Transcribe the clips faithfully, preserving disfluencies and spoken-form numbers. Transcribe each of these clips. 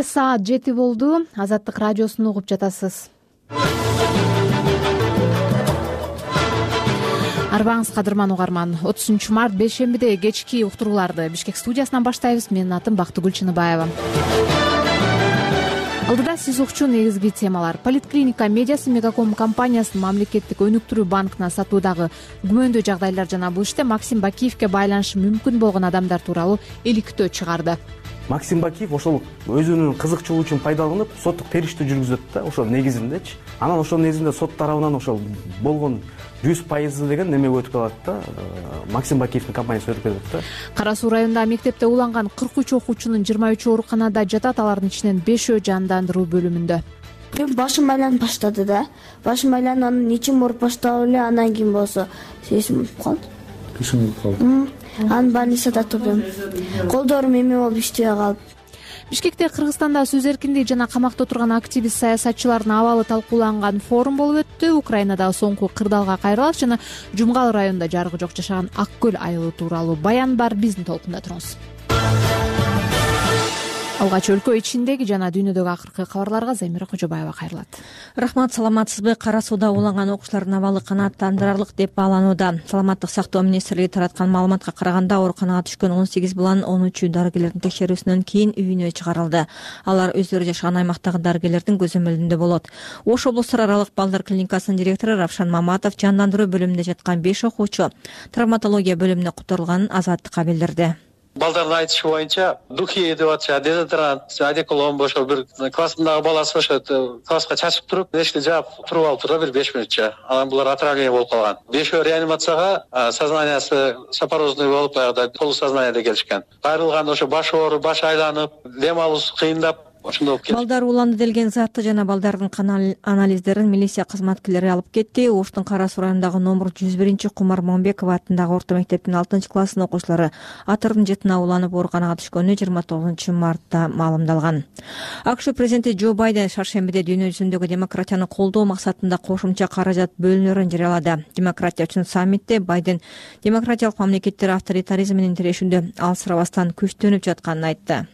Саат жети болду. Азаттык радиосун угуп жатасыз. Арбаңыз кадырман угарман. отузунчу март бейшембиде кечки уктурууларды Бишкек студиясынан баштайбыз. Менин атым Бактыгүл Чыныбаева. Алдыда сиз укчу негизги темалар. Политклиника медиасы Мегаком компаниясынын мамлекеттик өнүктүрүү банкына сатуудагы күмөндүү жагдайлар жана бул иште Максим Бакиевке байланышы мүмкүн болгон адамдар тууралуу иликтөө чыгарды. Максим Бакиев ошол өзүнүн кызыкчылыгын пайдаланып соттук териштөө жүргүзөт да, ошол негизиндечи. Анан ошол негизинде сот тарабынан ошол болгон жүз пайызы деген неме өтүп калат да, Максим Бакиевдин компаниясы өтүп кетет да. Кара Суу районундагы мектепте уланган кырк үч окуучунун жыйырма үчөө ооруканада жатат, алардын ичинен бешөө жандандыруу бөлүмүндө. Мен башым айланып баштады да. Башым айланып анан ичим ооруп баштап эле, андан кийин болсо сесим калды. Кышың калды. Анан больницада турдум. Колдорум эме болуп иштебей калып. Бишкекте Кыргызстанда сөз эркиндиги жана камакта отурган активист саясатчылардын абалы талкууланган форум болуп өттү. Украинадагы соңку кырдаалга кайрылат жана Жумгал районунда жарыгы жок жашаган Ак көл айылы тууралуу баян бар. Биздин толкунда туруңуз. Алгач өлкө ичиндеги жана дүйнөдөгү акыркы кабарларга Замира Кожобаева кайрылат. Рахмат, саламатсызбы? Кара Сууда уланган окуучулардын абалы канааттандырарлык деп бааланууда. Саламаттык сактоо министрлиги тараткан маалыматка караганда, ооруканага түшкөн он сегиз баланын он үчү дарыгерлердин текшерүүсүнөн кийин үйүнө чыгарылды. Алар өздөрү жашаган аймактагы дарыгерлердин көзөмөлүндө болот. Ош облустар аралык балдар клиникасынын директору Равшан Маматов жандандыруу бөлүмүндө жаткан беш окуучу травматология бөлүмүнө которулганын Азаттыкка билдирди. Балдардын айтышы боюнча духи деп атышат, дезодорант, одеколон ошо бир классымдагы баласы ошо класска чачып туруп, эшикти жаап туруп алып турду бир беш мүнөтчө. Анан булар отравление болуп калган. Бешөө реанимацияга, сознаниясы сапорозный болуп, аягда полусознанияда келишкен. Кайрылган ошо баш ооруп, баш айланып, дем алуусу кыйындап ошондой болуп кетти. Балдар уланды делген затты жана балдардын кан анализдерин милиция кызматкерлери алып кетти. Оштун Кара Суу районундагы номер жүз биринчи Кумар Момбеков аттындагы орто мектептин алтынчы класснын окуучулары Атырдын жытына уланып ооруканага түшкөнү жыйырма тогузунчу мартта маалымдалган. АКШ президенти Джо Байден шаршембиде дүйнө жүзүндөгү демократияны колдоо максатында кошумча каражат бөлүнөрүн жарыялады. Демократия үчүн саммитте Байден демократиялык мамлекеттер авторитаризм менен тирешүүдө алсырабастан күчтөнүп жатканын айтты.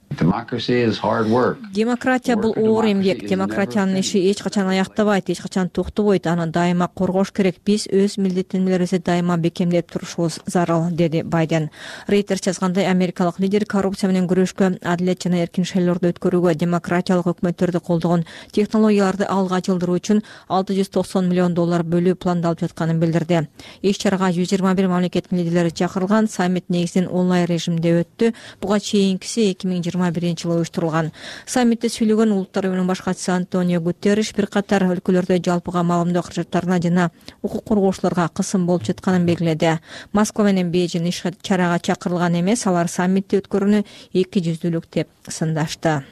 Демократия бул оор эмгек. Демократиянын иши эч качан аяктабайт, эч качан токтобойт. Аны дайыма коргош керек. Биз өз милдеттенмелерибизди дайыма бекемдеп турушубуз зарыл, деди Байден. Рейтер жазгандай, америкалык лидер коррупция менен күрөшкө, адилет жана эркин шайлоорду өткөрүүгө, демократиялык өкмөттөрдү колдогон технологияларды алга жылдыруу үчүн алты жүз токсон миллион доллар бөлүү пландалып жатканын билдирди. Иш чарага жүз жыйырма бир мамлекеттин лидерлери чакырылган. Саммит негизинен онлайн режимде өттү. Буга чейинкиси эки миң жыйырма биринчи жылы уюштурулган. Саммитте сүйлөгөн улуттар уюмунун башчысы Антонио Гутерриш бир катар өлкөлөрдө жалпыга маалымдоо каражаттарына жана укук коргоочуларга кысым болуп жатканын белгиледи. Москва менен Бейжин иш чарага чакырылган эмес, алар саммитти өткөрүүнү эки жүздүүлүк деп сындашты.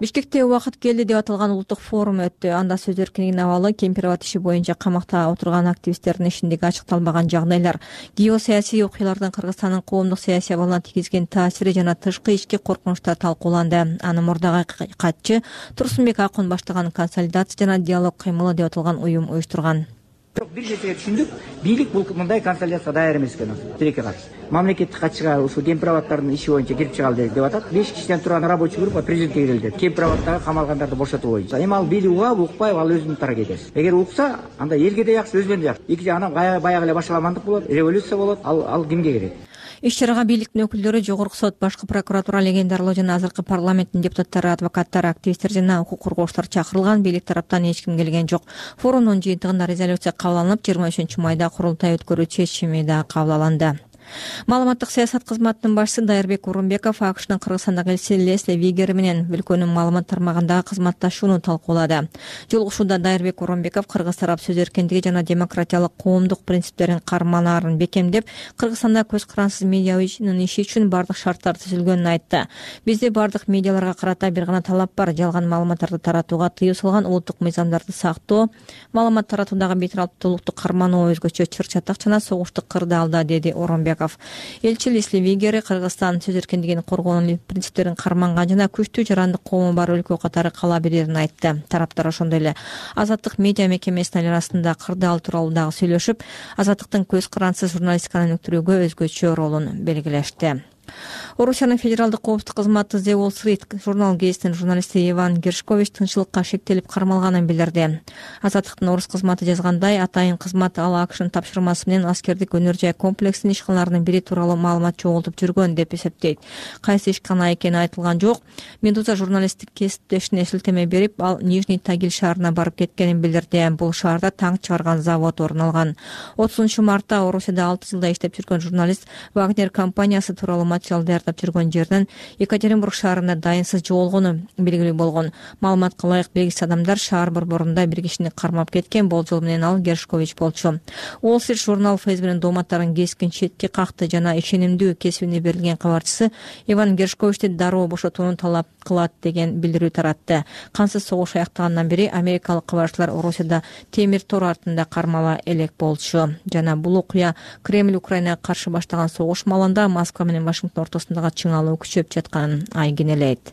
Бишкекте убакыт келди деп аталган улуттук форум өттү. Анда сөз эркиндигинин абалы, кемпирабад иши боюнча камакта отурган активисттердин ишиндеги ачыкталбаган жагдайлар, геосаясий окуялардын Кыргызстандын коомдук саясий абалына тийгизген таасири жана тышкы ички коркунучтар талкууланды. Аны мурдагы катчы Турсунбек Акун баштаган консолидация жана диалог кыймылы деп аталган уюм уюштурган. Бир нерсеге түшүндүк, бийлик бул мындай консолидацияга даяр эмес экен. Тилекке каршы мамлекеттик катчыга ушул кемпирабадтардын иши боюнча кирип чыгалы деп атат. беш кишиден турган рабочий группа президентке кирели деп. Кемпирабадтагы камалгандарды бошотуу боюнча. Эми ал бийлик угабы, укпайбы, ал өзүнүн аракетиси. Эгер укса, анда элге да жакшы, өзүнө да жакшы. Эки жагынан баягы эле башаламандык болот, революция болот. Ал ал кимге керек? Иш чарага бийликтин өкүлдөрү, жогорку сот, башкы прокуратура легендарлоо жана азыркы парламенттин депутаттары, адвокаттар, активисттер жана укук коргоочулар чакырылган. Бийлик тараптан эч ким келген жок. Форумдун жыйынтыгында резолюция кабыл алынып, жыйырма үчүнчү майда курултай өткөрүү чечими да кабыл алынды. Маалыматтык саясат кызматынын башчысы Дайырбек Урунбеков АКШнын Кыргызстандагы элчиси Лесли Вигер менен өлкөнүн маалымат тармагындагы кызматташууну талкуулады. Жолугушууда Дайырбек Урунбеков Кыргыз тарап сөз эркиндиги жана демократиялык коомдук принциптерин карманаарын бекемдеп, Кыргызстанда көз карансыз медианын иши үчүн бардык шарттар түзүлгөнүн айтты. Бизде бардык медиаларга карата бир гана талап бар: жалган маалыматтарды таратууга тыюу салган, улуттук мыйзамдарды сактоо, маалымат таратуудагы бейтараптуулукту кармануу, өзгөчө чыр-чатак жана согуштук кырдаалда, деди Урунбеков. Элчи Лесли Вигер Кыргызстан сөз эркиндигин коргоонун принциптерин карманган жана күчтүү жарандык коому бар өлкө катары кала берерин айтты. Тараптар ошондой эле Азаттык медиа мекемесинин арасында кырдаал тууралуу дагы сүйлөшүп, Азаттыктын көз карансыз журналистиканы өнүктүрүүгө өзгөчө ролун белгилешти. Орусиянын федералдык коопсуздук кызматы The Wall Street журнал гезитинин журналисти Иван Гершкович тынччылыкка шектелип кармалганын билдирди. Азаттыктын орус кызматы жазгандай, атайын кызмат ал АКШнын тапшырмасы менен аскердик өнөр жай комплексинин ишканаларынын бири тууралуу маалымат чогултуп жүргөн деп эсептейт. Кайсы ишкана экени айтылган жок. Медуза журналисттик кесиптешине шилтеме берип, ал Нижний Тагил шаарына барып кеткенин билдирди. Бул шаарда танк чыгарган завод орун алган. отузунчу мартта Орусияда алты жылда иштеп жүргөн журналист Вагнер компаниясы тууралуу материал даярдап жүргөн жерден Екатеринбург шаарында дайынсыз жоголгону белгилүү болгон. Маалыматка ылайык белгисиз адамдар шаар борборунда бир кишини кармап кеткен. Болжол менен ал Гершкович болчу. Wall Street журнал Фейсбуктун дооматтарын кескин четке какты жана ишенимдүү кесибине берилген кабарчысы Иван Гершковичти дароо бошотууну талап кылат деген билдирүү таратты. Кансыз согуш аяктагандан бери америкалык кабарчылар Орусияда темир тор артында кармала элек болчу. Жана бул окуя Кремль Украинага каршы баштаган согуш маалында Москва менен Вашингтон ортосундагы чыңалуу күчөп жатканын айгинелейт.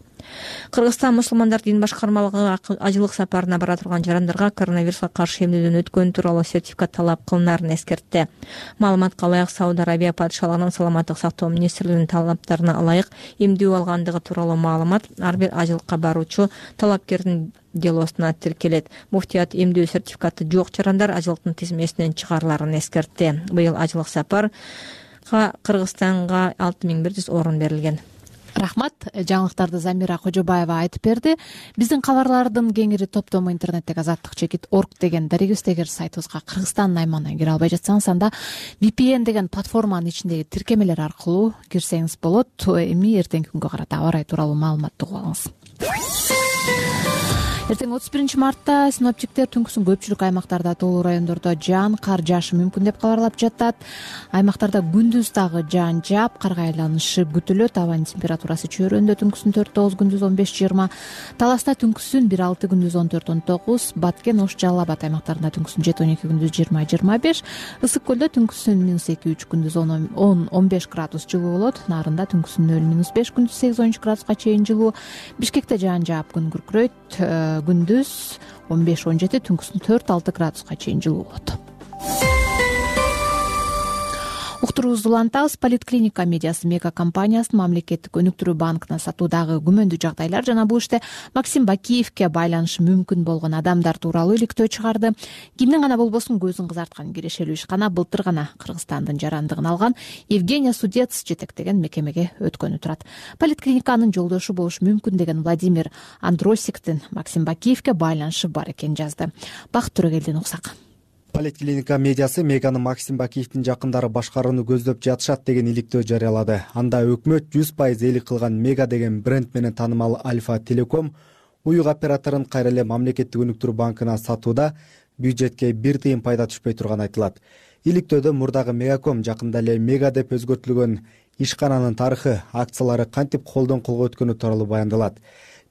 Кыргызстан мусулмандар дин башкармалыгы ажылык сапарына бара турган жарандарга коронавируска каршы эмнеден өткөнү тууралуу сертификат талап кылынарын эскертти. Маалыматка ылайык, Сауд Арабия падышалыгынын саламаттык сактоо министрлигинин талаптарына ылайык эмдүү алгандыгы тууралуу маалымат ар бир ажылыкка баруучу талапкердин делосуна тиркелет. Муфтият эмдүү сертификаты жок жарандар ажылыктын тизмесинен чыгарыларын эскертти. Быйыл ажылык сапарга Кыргызстанга алты миң бир жүз орун берилген. Рахмат. Жаңылыктарды Замира Кожобаева айтып берди. Биздин кабарлардын кеңири топтому интернеттеги азаттык чекит орг деген дарегибизде, эгер сайтыбызга Кыргызстандын аймагынан кире албай жатсаңыз, анда ви пи эн деген платформанын ичиндеги тиркемелер аркылуу кирсеңиз болот. Эми эртеңки күнгө карата аба ырайы тууралуу маалыматты угуп алыңыз. Эртең отуз биринчи мартта синоптиктер түнкүсүн көпчүлүк аймактарда тоолуу райондордо жаан, кар жаашы мүмкүн деп кабарлап жатат. Аймактарда күндүз дагы жаан жаап, карга айланышы күтүлөт. Абанын температурасы чөйрөндө түнкүсүн төрт тогуз, күндүз он беш жыйырма. Таласта түнкүсүн бир алты, күндүз он төрт он тогуз. Баткен, Ош, Жалал Абад аймактарында түнкүсүн жети он эки, күндүз жыйырма жыйырма беш. Ысык көлдө түнкүсүн минус эки үч, күндүз он он беш градус жылуу болот. Нарында түнкүсүн нөл минус беш, күндүз сегиз он үч градуска чейин жылуу. Бишкекте жаан жаап, күн күркүрөйт. Күндүз он беш он жети, түнкүсүн төрт алты градуска чейин жылуу болот. Уктуруубузду улантабыз. Политклиника медиасы мега компаниясынын мамлекеттик өнүктүрүү банкына сатуудагы күмөндүү жагдайлар жана бул иште Максим Бакиевке байланышы мүмкүн болгон адамдар тууралуу иликтөө чыгарды. Кимдин гана болбосун көзүн кызарткан кирешелүү ишкана былтыр гана Кыргызстандын жарандыгын алган Евгения Судец жетектеген мекемеге өткөнү турат. Политклиниканын жолдошу болушу мүмкүн деген Владимир Андросиктин Максим Бакиевке байланышы бар экенин жазды. Бакыт Төрөгелдин уксак. Политклиника медиасы Меганы Максим Бакиевдин жакындары башкарууну көздөп жатышат деген иликтөө жарыялады. Анда өкмөт жүз пайызээлик кылган Мега деген бренд менен таанымал Альфа Телеком уюк операторун кайра эле мамлекеттик өнүктүрүү банкына сатууда бюджетке бир тыйын пайда түшпөй турганы айтылат. Иликтөөдө мурдагы Мегаком жакында эле Мега деп өзгөртүлгөн ишкананын тарыхы, акциялары кантип колдон колго өткөнү тууралуу баяндалат.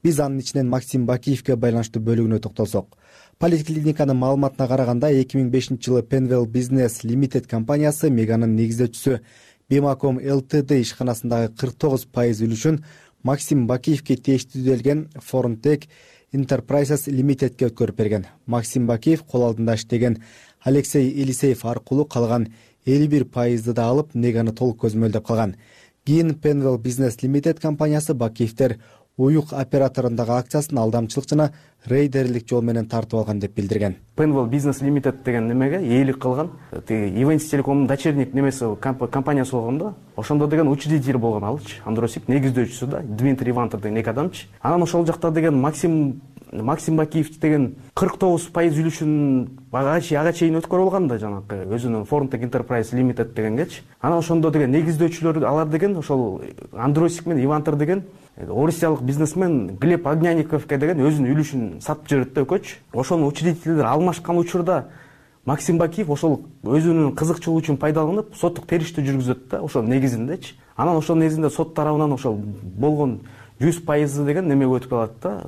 Биз анын ичинен Максим Бакиевке байланыштуу бөлүгүнө токтолсок. Политклиниканын маалыматына караганда эки миң бешинчи жылы Penwell Business Limited компаниясы Меганын негиздөөчүсү Bimacom Ltd ишканасындагы кырк тогуз пайыз үлүшүн Максим Бакиевке тиештүү делген Forontech Enterprises Limitedке өткөрүп берген. Максим Бакиев кол алдында иштеген Алексей Елисеев аркылуу калган элүү бир пайызды да алып, Меганы толук көзмөлдөп калган. Кийин Penwell Business Limited компаниясы Бакиевтер уюк операторундагы акциясын алдамчылык жана рейдерлик жол менен тартып алган деп билдирген. Penwell Business Limited деген немеге ээлик кылган. Ивенс Телекомдун дочерник немеси компаниясы болгондо, ошондо деген учредитель болгон алчы. Андросик негиздөөчүсү да Дмитрий Ивантов деген эки адамчы. Анан ошол жакта деген Максим Максим Бакиев деген кырк тогуз пайыз үлүшүн ага чейин өткөрүп алган да, жанагы өзүнүн Forontech Enterprise Limited дегенгечи. Анан ошондо деген негиздөөчүлөр алар деген ошол Андросик менен Ивантор деген орусиялык бизнесмен Глеб Огняниковке деген өзүнүн үлүшүн сатып жиберет да өкөч. Ошонун учредителдери алмашкан учурда Максим Бакиев ошол өзүнүн кызыкчылыгы үчүн пайдаланып, соттук териштөө жүргүзөт да, ошол негизиндечи. Анан ошол негизинде сот тарабынан ошол болгон жүз пайызы деген немеге өтүп калат да,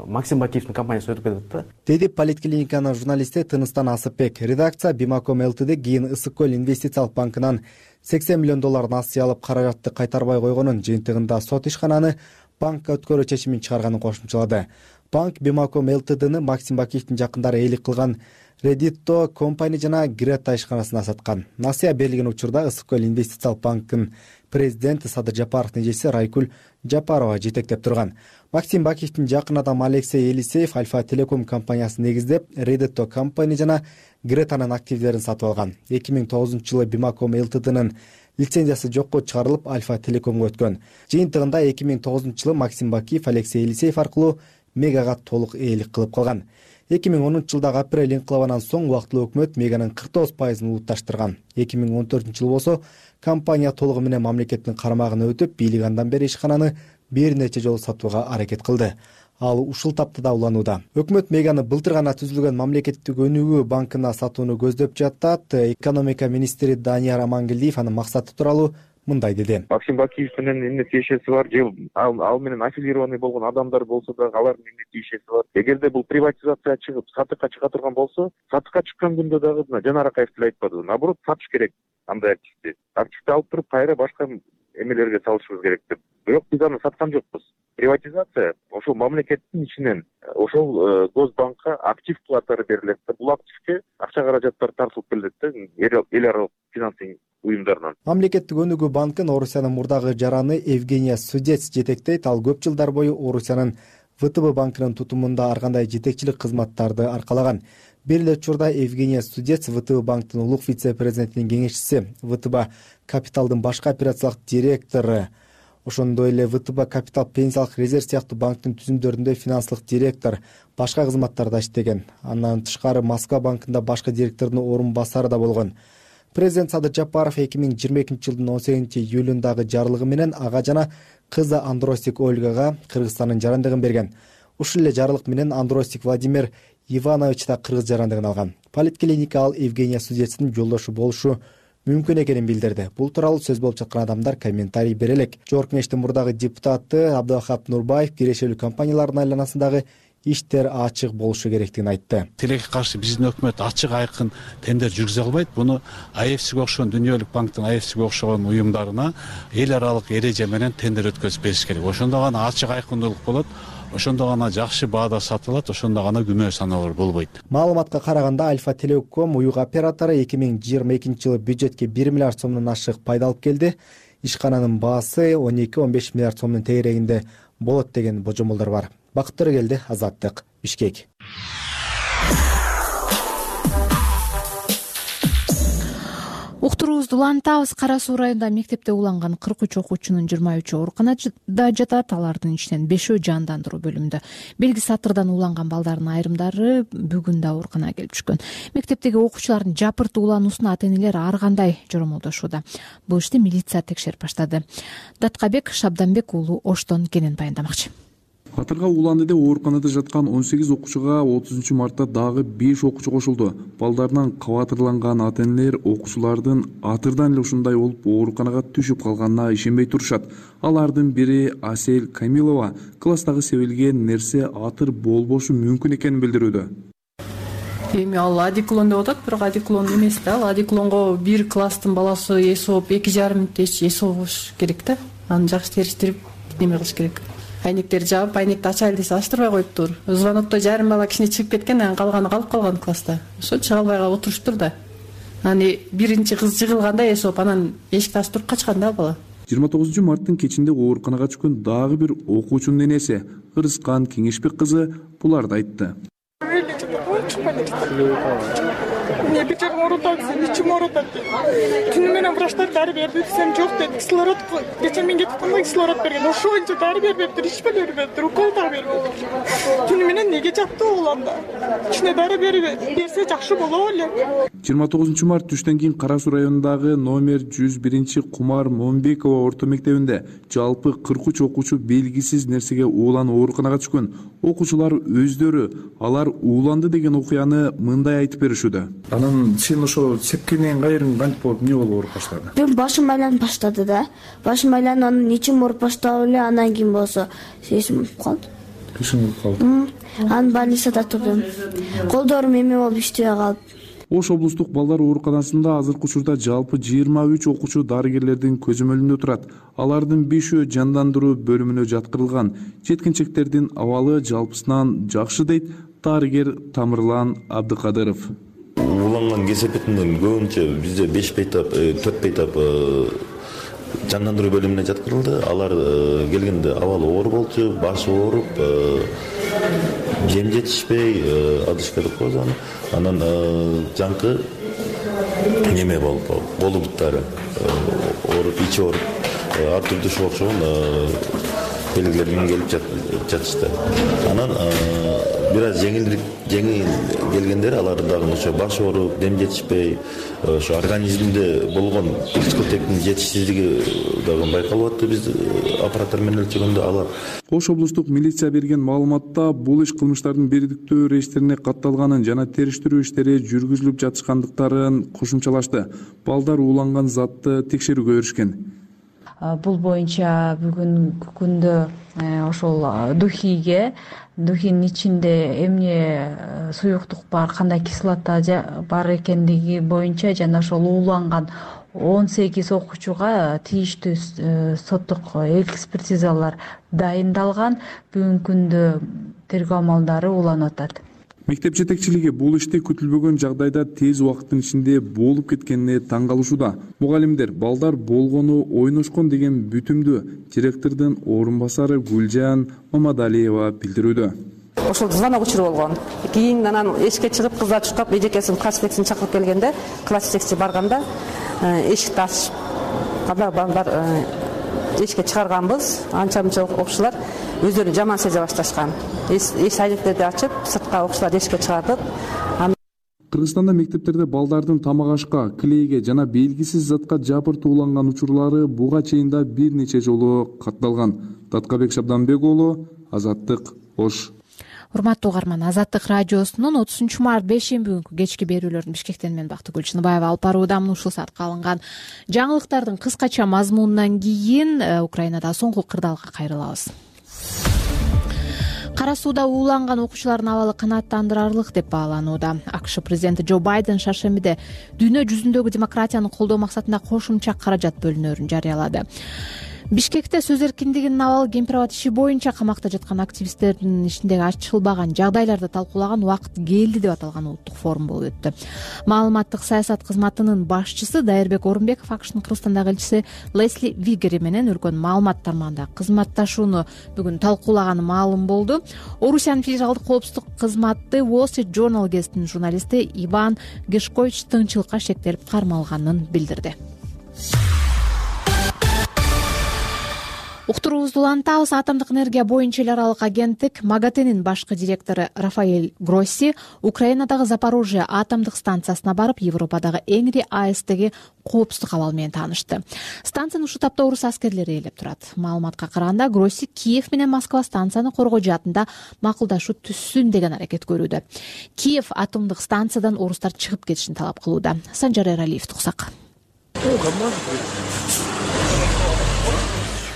Максим Бакиевдин компаниясы өтүп кетет да. Деди Политклиниканын журналисти Тыныстан Асыпбек. Редакция Bimacom Ltd кийин Ысык көл инвестициялык банкынан сексен миллион доллар насыя алып, каражатты кайтарбай койгонун, жыйынтыгында сот ишкананы банкка өткөрүү чечимин чыгарганын кошумчалады. Банк Бимаком Ltd'ны Максим Бакиевдин жакындары ээлик кылган Редитто компания жана Грета ишканасына саткан. Насыя берилген учурда Ысык көл инвестициялык банктын президенти Садыр Жапаровдун эжеси Райкуль Жапарова жетектеп турган. Максим Бакиевдин жакын адамы Алексей Елисеев Альфа Телеком компаниясын негиздеп, Редитто компания жана Гретанын активдерин сатып алган. эки миң тогузунчу жылы Бимаком Ltd'нын лицензиясы жокко чыгарылып, Альфа Телекомго өткөн. Жыйынтыгында эки миң тогузунчу жылы Максим Бакиев Алексей Елисеев аркылуу Мегага толук ээлик кылып калган. эки миң онунчу жылдагы апрель инкылабынан соң убактылуу өкмөт Меганын кырк тогуз пайызын улутташтырган. эки миң он төртүнчү жылы болсо компания толугу менен мамлекеттин карамагына өтүп, бийлик андан бери ишкананы бир нече жолу сатууга аракет кылды. Ал ушул таптада уланууда. Өкмөт Меганы былтыр гана түзүлгөн мамлекеттик өнүгүү банкына сатууну көздөп жатат. Экономика министри Данияр Амангелдиев анын максаты тууралуу мындай деди. Максим Бакиев менен эмне тиешеси бар, же ал, ал менен аффилированный болгон адамдар болсо да алардын эмне тиешеси бар. Эгерде бул приватизация чыгып сатыкка чыга турган болсо, сатыкка чыккан күндө дагы Жанар Акаев деле айтпады. Наоборот, сатыш керек андай активди. Активди алып туруп кайра башка эмелерге салышыбыз керек деп. Бирок биз аны саткан жокпуз. Приватизация ошол мамлекеттин ичинен ошол Госбанкка актив катары берилет. Бул активге акча каражаттар тартылып келет да, эл аралык финансовый уюмдарынан. Мамлекеттик өнүгүү банкын Орусиянын мурдагы жараны Евгения Судец жетектейт. Ал көп жылдар бою Орусиянын вэ тэ бэ банкынын тутумунда ар кандай жетекчилик кызматтарды аркалаган. Бир эле учурда Евгения Судец вэ тэ бэ банктын улук вице-президентинин кеңешчиси, вэ тэ бэ капиталдын башкы операциялык директору, ошондой эле вэ тэ бэ капитал пенсиялык резерв сыяктуу банктын түзүмдөрүндө финансылык директор, башка кызматтарда иштеген. Андан тышкары Москва банкында башкы директордун орун басары да болгон. Президент Садыр Жапаров эки миң жыйырма экинчи жылдын он сегизинчи июлундагы жарлыгы менен ага жана кызы Андросик Ольгага Кыргызстандын жарандыгын берген. Ушул эле жарлык менен Андросик Владимир Иванович да кыргыз жарандыгын алган. Политклиника ал Евгения Судецтин жолдошу болушу мүмкүн экенин билдирди. Бул тууралуу сөз болуп жаткан адамдар комментарий бере элек. Жогорку кеңештин мурдагы депутаты Абдылахап Нурбаев кирешелүү компаниялардын айланасындагы иштер ачык болушу керектигин айтты. Тилекке каршы биздин өкмөт ачык айкын тендер жүргүзө албайт. Буну а эф сиге окшогон дүйнөлүк банктын а эф сиге окшогон уюмдарына эл аралык эреже менен тендер өткөзүп бериш керек. Ошондо гана ачык айкындуулук болот. Ошондо гана жакшы баада сатылат, ошондо гана күмөө саналар болбойт. Маалыматка караганда Альфа Телеком уюк оператору эки миң жыйырма экинчи жылы бюджетке бир миллиард сомдон ашык пайда алып келди. Ишкананын баасы он эки он беш миллиард сомдун тегерегинде болот деген божомолдор бар. Бакыт келди, Азаттык, Бишкек. Уктуруубузду улантабыз. Кара Суу районунда мектепте уланган кырк үч окуучунун жыйырма үчөө ооруканада жатат. Алардын ичинен бешөө жандандыруу бөлүмүндө. Белги сатырдан уланган балдардын айрымдары бүгүн да ооруканага келип түшкөн. Мектептеги окуучулардын жапырт улануусуна ата-энелер ар кандай жоромолдошууда. Бул ишти милиция текшерип баштады. Даткабек Шабданбек уулу Оштон кенен баяндамакчы. Катырга уланды деп ооруканада жаткан он сегиз окуучуга отузунчу мартта дагы беш окуучу кошулду. Балдарынан кабатырланган ата-энелер окуучулардын атырдан эле ушундай болуп ооруканага түшүп калганына ишенбей турушат. Алардын бири Асель Камилова класстагы себилген нерсе атыр болбошу мүмкүн экенин билдирүүдө. Эми ал адиклон деп атат, бирок адиклон эмес да. Ал адиклонго бир класстын баласы эс болуп эки жарым мүнөттө эс болуш керек да. Аны жакшы териштирип неме кылыш керек. Айнектерди жаап, айнекти ачайлы десе ачтырбай коюптур. Звонокто жарым бала кичине чыгып кеткен, анан калганы калып калган класста. Ошо чыга албай отуруштур да. Аны биринчи кыз жыгылганда эс болуп, анан эшикти ачып туруп качкан да бала. жыйырма тогузунчу марттын кечинде ооруканага түшкөн дагы бир окуучунун энеси Кырыскан Кеңешбек кызы буларды айтты. Мне бир жагым ооруп атат, ичим ооруп атат. Түнү менен врачтар дары берди, десем жок деди. Кислород кечээ мен кетип калган, кислород берген. Ошончо дары бербептир, ичпе бербептир, укол да бербептир. Түнү менен неге жатты уланда? Ичине дары бербеди. Берсе жакшы болот эле. жыйырма тогузунчу март түштөн кийин Кара Суу районундагы номер жүз биринчи Кумар Момбекова орто мектебинде жалпы кырк үч окуучу белгисиз нерсеге ууланып ооруканага түшкөн. Окуучулар өздөрү алар ууланды деген окуяны мындай айтып беришүүдө. Анан сен ошо сепкенден кайрын кантип болуп эмне болуп ооруп баштады? Мен башым айланып баштады да. Башым айланып, анан ичим ооруп баштап эле, анан кийин болсо эсим калды. Эсиң калды. Анан больницада турдум. Колдорум эме болуп иштебей калды. Ош облустук балдар ооруканасында азыркы учурда жалпы жыйырма үч окуучу дарыгерлердин көзөмөлүндө турат. Алардын бешөө жандандыруу бөлүмүнө жаткырылган. Жеткинчектердин абалы жалпысынан жакшы дейт дарыгер Тамырлан Абдыкадыров. Уланган кесепетинин көбүнчө бизде беш бейтап, төрт бейтап жандандыруу бөлүмүнө жаткырылды. Алар келгенде абалы оор болчу, башы ооруп, жем жетишпей, адышка деп коебуз аны. Анан жаңкы неме болуп, колу буттары ооруп, ичи ооруп, ар түрдүү ушуга окшогон белгилер менен келип жатышты. Анан бир аз жеңилдик жеңил келгендер алар дагы ошо баш ооруп, дем жетишпей, ошо организмде болгон дискотектин жетишсиздиги дагы байкалып атты биз аппараттар менен өлчөгөндө. Алар Ош облустук милиция берген маалыматта бул иш кылмыштардын бирдиктүү рейстерине катталганын жана териштирүү иштери жүргүзүлүп жатышкандыктарын кошумчалашты. Балдар ууланган затты текшерүүгө беришкен. Бул боюнча бүгүнкү күндө ошол духиге, духинин ичинде эмне суюктук бар, кандай кислота бар экендиги боюнча жана ошол ууланган он сегиз окуучуга тийиштүү соттук экспертизалар дайындалган. Бүгүнкү күндө тергөө амалдары уланып атат. Мектеп жетекчилиги бул ишти күтүлбөгөн жагдайда тез убакыттын ичинде болуп кеткенине таң калышууда. Мугалимдер балдар болгону ойношкон деген бүтүмдү директордун орун басары Гүлжан Мамадалиева билдирүүдө. Ошол звонок учуру болгон. Кийин анан эшикке чыгып кыздар чуркап эжекесин класс жетекчисин чакырып келгенде, класс жетекчиси барганда эшикти ачып, анда балдар эшикке чыгарганбыз. Анча-мынча окуучулар өздөрүн жаман сезе башташкан. Эш айнектерди ачып, сыртка окуучулар эшикке чыгардык. Кыргызстанда мектептерде балдардын тамак ашка, клейге жана белгисиз затка жапыртууланган учурлары буга чейин да бир нече жолу катталган. Таткабек Шабданбек уулу, Азаттык, Ош. Урматтуу угарман, Азаттык радиосунун отузунчу март бейшемби күнкү кечки берүүлөрүн Бишкектен мен Бактыгүл Чыныбаева алып барууда. Ушул саатка алынган жаңылыктардын кыскача мазмунунан кийин Украинада соңку кырдаалга кайрылабыз. Кара сууда ууланган окуучулардын абалы канааттандырарлык деп бааланууда. АКШ президенти Джо Байден шаршембиде дүйнө жүзүндөгү демократияны колдоо максатында кошумча каражат бөлүнөрүн жарыялады. Бишкекте сөз эркиндигинин абалы кемпирабад иши боюнча камакта жаткан активисттердин ишиндеги ачылбаган жагдайларды талкуулаган убакыт келди деп аталган улуттук форум болуп өттү. Маалыматтык саясат кызматынын башчысы Дайырбек Орунбеков АКШнын Кыргызстандагы элчиси Лесли Вигери менен өлкөнүн маалымат тармагында кызматташууну бүгүн талкуулаганы маалым болду. Орусиянын федералдык коопсуздук кызматы Wall Street Journal гезитинин журналисти Иван Гешкович тынччылыкка шектелип кармалганын билдирди. Уктуруубузду улантабыз. Атомдук энергия боюнча эл аралык агенттик МАГАТЭнин башкы директору Рафаэль Гросси Украинадагы Запорожье атомдук станциясына барып, Европадагы эң ири АЭСтеги коопсуздук абал менен таанышты. Станцияны ушул тапта орус аскерлери ээлеп турат. Маалыматка караганда, Гросси Киев менен Москва станцияны коргоо жаатында макулдашуу түзсүн деген аракет көрүүдө. Киев атомдук станциядан орустар чыгып кетишин талап кылууда. Санжар Эралиев туксак.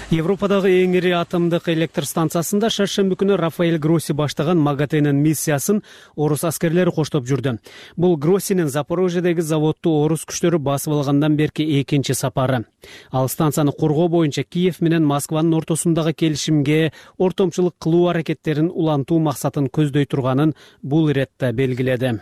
Европадагы эң ири атомдук электр станциясында шаршемби күнү Рафаэль Гросси баштаган МАГАТЭнин миссиясын орус аскерлери коштоп жүрдү. Бул Гроссинин Запорожьедеги заводду орус күчтөрү басып алгандан берки экинчи сапары. Ал станцияны коргоо боюнча Киев менен Москванын ортосундагы келишимге ортомчулук кылуу аракеттерин улантуу максатын көздөй турганын бул иретте белгиледи.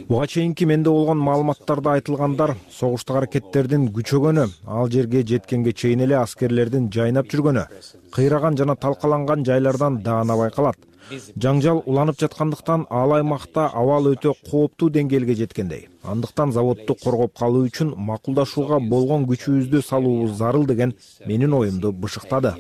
Буга чейинки менде болгон маалыматтарда айтылгандар согуштук аракеттердин күчөгөнү, ал жерге жеткенге чейин эле аскерлердин жайнап жүргөнү, кыйраган жана талкаланган жайлардан даана байкалат. Жаңжал уланып жаткандыктан ал аймакта абал өтө кооптуу деңгээлге жеткендей. Андыктан заводду коргоп калуу үчүн макулдашууга болгон күчүбүздү салуубуз зарыл деген менин оюмду бышыктады.